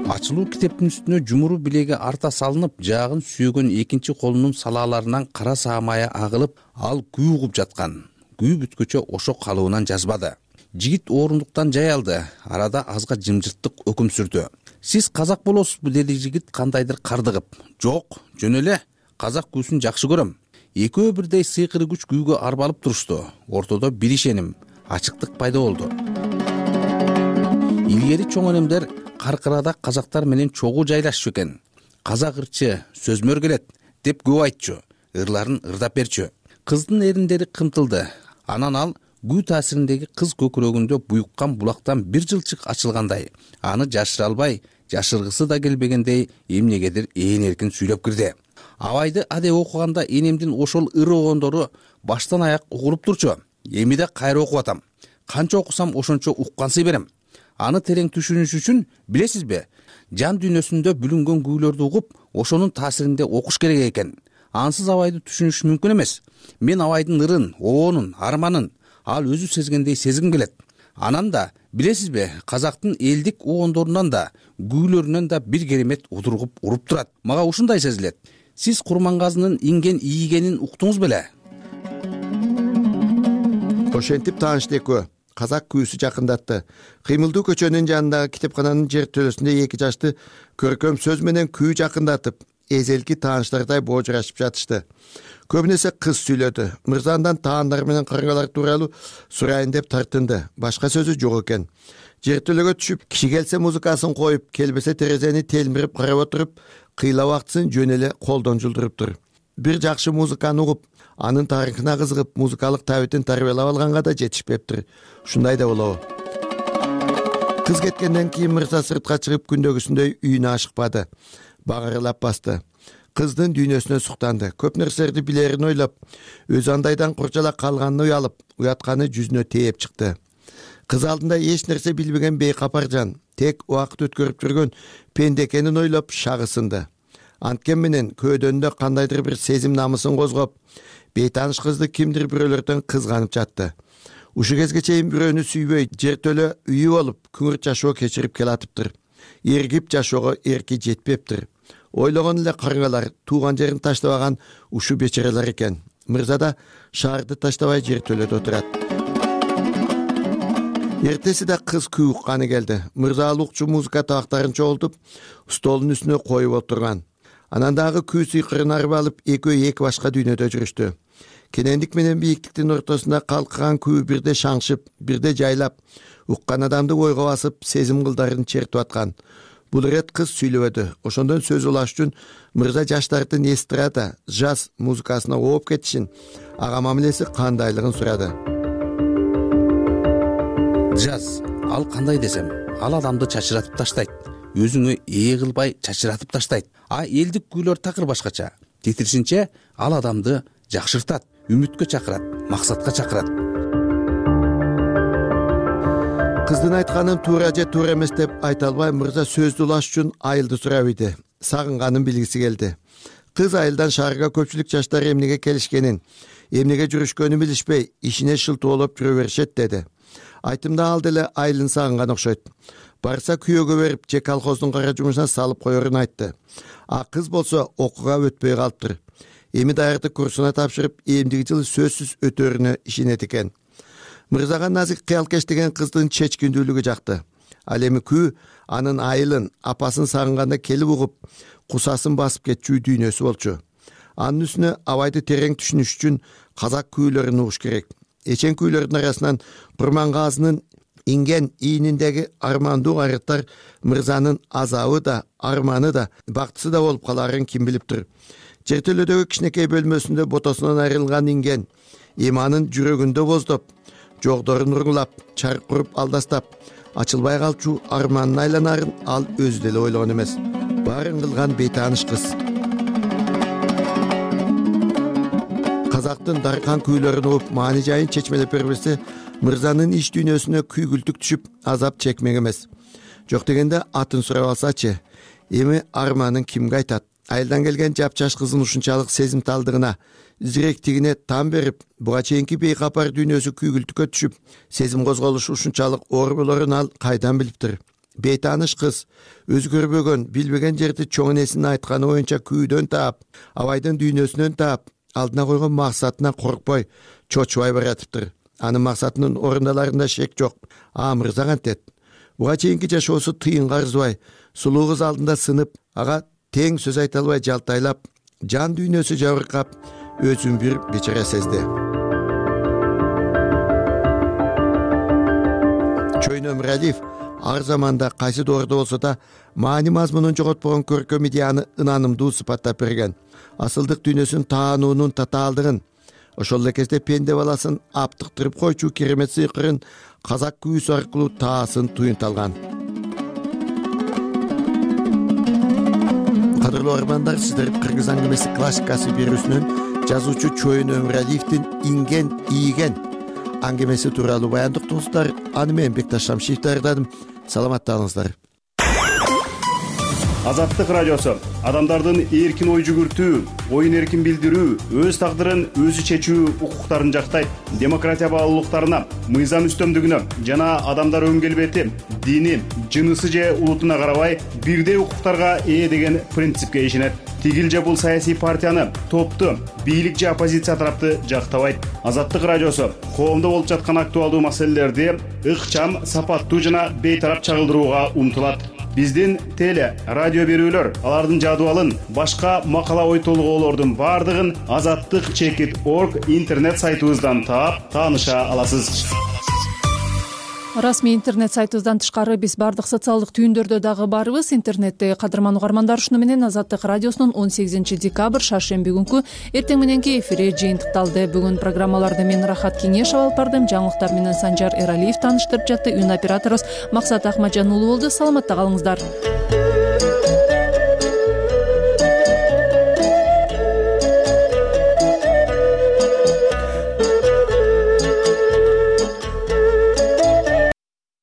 Ачылуу китептин үстүнө жумуру билеги арта салынып, жаагын сүйөгөн экинчи колунун салааларынан кара саамая агылып, ал күү угуп жаткан. Күү бүткөчө ошо калыбынан жазбады. Жигит орундуктан жай алды. Арада азга жымжырттык өкүм сүрдү. Сиз казак болосузбу, деди жигит кандайдыр кардыгып. Жок, жөн эле. Казак күүсүн жакшы көрөм. Экөө бирдей сыйкыры күч күүгө арбалып турушту. Ортодо бир ишеним, ачыктык пайда болду. Илгери чоң өнөмдөр каркырада казактар менен чогуу жайлашчу экен. Казак ырчы, сөзмөр келет деп көп айтчу, ырларын ырдап берчү. Кыздын эриндери кымтылды. Анан ал күү таасириндеги кыз көкүрөгүндө буюккан булактан бир жылчык ачылгандай, аны жашыра албай, жашыргысы да келбегендей эмнегедир ээн эркин сүйлөп кирди. Абайды адеп окуганда энемдин ошол ыры огондору баштан аяк угулуп турчу. Эми да кайра окуп атам. Канча окусам ошончо уккансый берем. Аны терең түшүнүш үчүн, билесизби, жан дүйнөсүндө бүлүнгөн күүлөрдү угуп, ошонун таасиринде окуш керек экен. Ансыз абайды түшүнүш мүмкүн эмес. Мен абайдын ырын, оонун, арманын ал өзү сезгендей сезгим келет. Анан да, билесизби, казактын элдик огондорунан да, күүлөрүнөн да бир керемет удургуп уруп турат. Мага ушундай сезилет. Сиз Курмангазынын инген ийгенин уктуңуз беле?
Ошентип таанышты экөө. Казак күүсү жакындатты. Кыймылдуу көчөнүн жанындагы китепкананын жер төлөсүндө эки жашты көркөм сөз менен күү жакындатып, эзелки тааныштардай боожурашып жатышты. Көбүн эсе кыз сүйлөдү. Мырзандан таандар менен карыңгалар тууралуу сурайын деп тартынды. Башка сөзү жок экен. Жертөлөгө түшүп, киши келсе музыкасын коюп, келбесе терезени телмирип карап отуруп, кыйла убактысын жөн эле колдон жулдуруптур. Бир жакшы музыканы угуп, анын тарыхына кызыгып, музыкалык табитин тарбиялап алганга да жетишпептир. Ушундай да болобу? Кыз кеткенден кийин мырза сыртка чыгып күндөгүсүндөй үйүнө ашыкпады. Багырылап басты. Кыздын дүйнөсүнө суктанды. Көп нерселерди билерин ойлоп, өзү андайдан курчала калганын уялып, уятканы жүзүнө тээп чыкты. Кыз алдында эч нерсе билбеген бейкапар жан, тек убакыт өткөрүп жүргөн пенде экенин ойлоп шагысынды. Анткени менен көөдөнүндө кандайдыр бир сезим намысын козгоп, бейтааныш кызды кимдир бирөөлөрдөн кызганып жатты. Ушу кезге чейин бирөөнү сүйбөй, жертөлө үйү болуп, күңүрт жашоо кечирип келатыптыр. Эргип жашоого эрки жетпептир. Ойлогон эле карыңгалар, тууган жерин таштабаган ушу бечерелер экен. Мырза да шаарды таштабай жертөлөдө отурат. Эртеси да кыз күү укканы келди. Мырза алукчу музыка табактарын чогултуп, столдун үстүнө коюп отурган. Анан дагы күү сыйкырын арып алып, экөө эки башка дүйнөдө жүрүштү. Кенендик менен бийиктиктин ортосунда калкыган күү бирде шаңшып, бирде жайлап, уккан адамды ойго басып, сезим кылдарын чертип аткан. Бул ирет кыз сүйлөбөдү. Ошондон сөз улаш үчүн мырза жаштардын эстрада, жаз музыкасына ооп кетишин, ага мамилеси кандайлыгын сурады.
Жаз, ал кандай десем, ал адамды чачыратып таштайт. Өзүңө ээ кылбай чачыратып таштайт. А элдик күүлөр такыр башкача. Тетиришинче, ал адамды жакшыртат, үмүткө чакырат, максатка чакырат. Кыздын айтканын туура же туура эмес деп айта албай, мырза сөздү улаш үчүн айылды сурап ийди. Сагынганын билгиси келди. Кыз айылдан шаарга көпчүлүк жаштар эмнеге келишкенин, эмнеге жүрүшкөнүн билишпей, ишине шылтоолоп жүрө беришет деди. Айтымда ал деле айылын сагынган окшойт. Барса күйөөгө берип, же колхоздун кара жумушуна салып коерун айтты. А кыз болсо окууга өтпөй калыптыр. Эми даярдык курсуна тапшырып, эмдиги жылы сөзсүз өтөрүнө ишенет экен. Мырзага назик кыялкеш деген кыздын чечкиндүүлүгү жакты. Ал эми күү анын айылын, апасын сагынганда келип угуп, кусасын басып кетчү дүйнөсү болчу. Анын үстүнө абайды терең түшүнүш үчүн казак күүлөрүн угуш керек. Эчен күүлөрдүн арасынан Курмангазынын инген ийниндеги армандуу айрыттар мырзанын азабы да, арманы да, бактысы да болуп каларын ким билиптир. Жертөлөдөгү кичинекей бөлмөсүндө ботосунан айрылган инген эми анын жүрөгүндө боздоп, жогдорун уруңлап, чарк куруп алдастап, ачылбай калчу арманын айланарын ал өзү деле ойлогон эмес. Баарын кылган бейтааныш кыз. Казактын даркан күүлөрүн угуп, маани жайын чечмелеп бербесе, мырзанын иш дүйнөсүнө күйгүлтүк түшүп, азап чекмек эмес. Жок дегенде атын сурап алсачы, эми арманын кимге айтат? Айылдан келген жапчаш кыздын ушунчалык сезимталдыгына, зиректигине тан берип, буга чейинки бейкапар дүйнөсү күйгүлтүккө түшүп, сезим козголушу ушунчалык оор болорун ал кайдан билиптир? Бейтааныш кыз, өзгөрбөгөн, билбеген жерди чоң энесинин айтканы боюнча күүдөн таап, абайдын дүйнөсүнөн таап, алдына койгон максатына коркпой, чочубай баратыптыр. Анын максатынын орундаларында шек жок. А мырза кантет? Буга чейинки жашоосу тыйынга арзыбай, сулуу кыз алдында сынып, ага тең сөз айта албай жалтайлап, жан дүйнөсү жабыркап, өзүн бир бечара сезди. Чойно Өмүралиев ар заманда кайсы доордо болсо да маани мазмунун жоготпогон көркөм идеяны ынанымдуу сыпаттап берген. Асылдык дүйнөсүн таануунун татаалдыгын, ошол эле кезде пенде баласын аптыктырып койчу керемет сыйкырын казак күүсү аркылуу таасын туюнталган. Кадырлуу армандар, сиздер Кыргыз аңгемеси классикасы берүүсүнөн жазуучу Чойно Өмүралиевдин инген ийген аңгемеси тууралуу баяндыктыңыздар. Аны мен Бекташ Шамшиев даярдадым. Саламатталыңыздар.
Азаттык радиосу адамдардын эркин ой жүгүртүү, оюн эркин билдирүү, өз тагдырын өзү чечүү укуктарын жактайт. Демократия баалуулуктарына, мыйзам үстөмдүгүнө жана адамдар өн келбети, дини, жынысы же улутуна карабай бирдей укуктарга ээ деген принципке ишенет. Тигил же бул саясий партияны, топту, бийлик же оппозиция тарапты жактабайт. Азаттык радиосу коомдо болуп жаткан актуалдуу маселелерди ыкчам, сапаттуу жана бейтарап чагылдырууга умтулат. биздин теле радио берүүлөр, алардын жадыбалын, башка макала ой толгоолордун баардыгын азаттык чекит орг интернет сайтыбыздан таап тааныша аласыз.
Расмий интернет сайтыбыздан тышкары биз бардык социалдык түйүндөрдө дагы барбыз. Интернетте кадырман угармандар, ушуну менен Азаттык радиосунун он сегизинчи декабрь шаршемби күнкү эртең мененки эфири жыйынтыкталды. Бүгүн программаларды мен Рахат Кеңешова алып бардым. Жаңылыктар менен Санжар Эралиев тааныштырып жатты. Үн операторубуз Максат Акмаджан уулу болду. Саламатта калыңыздар.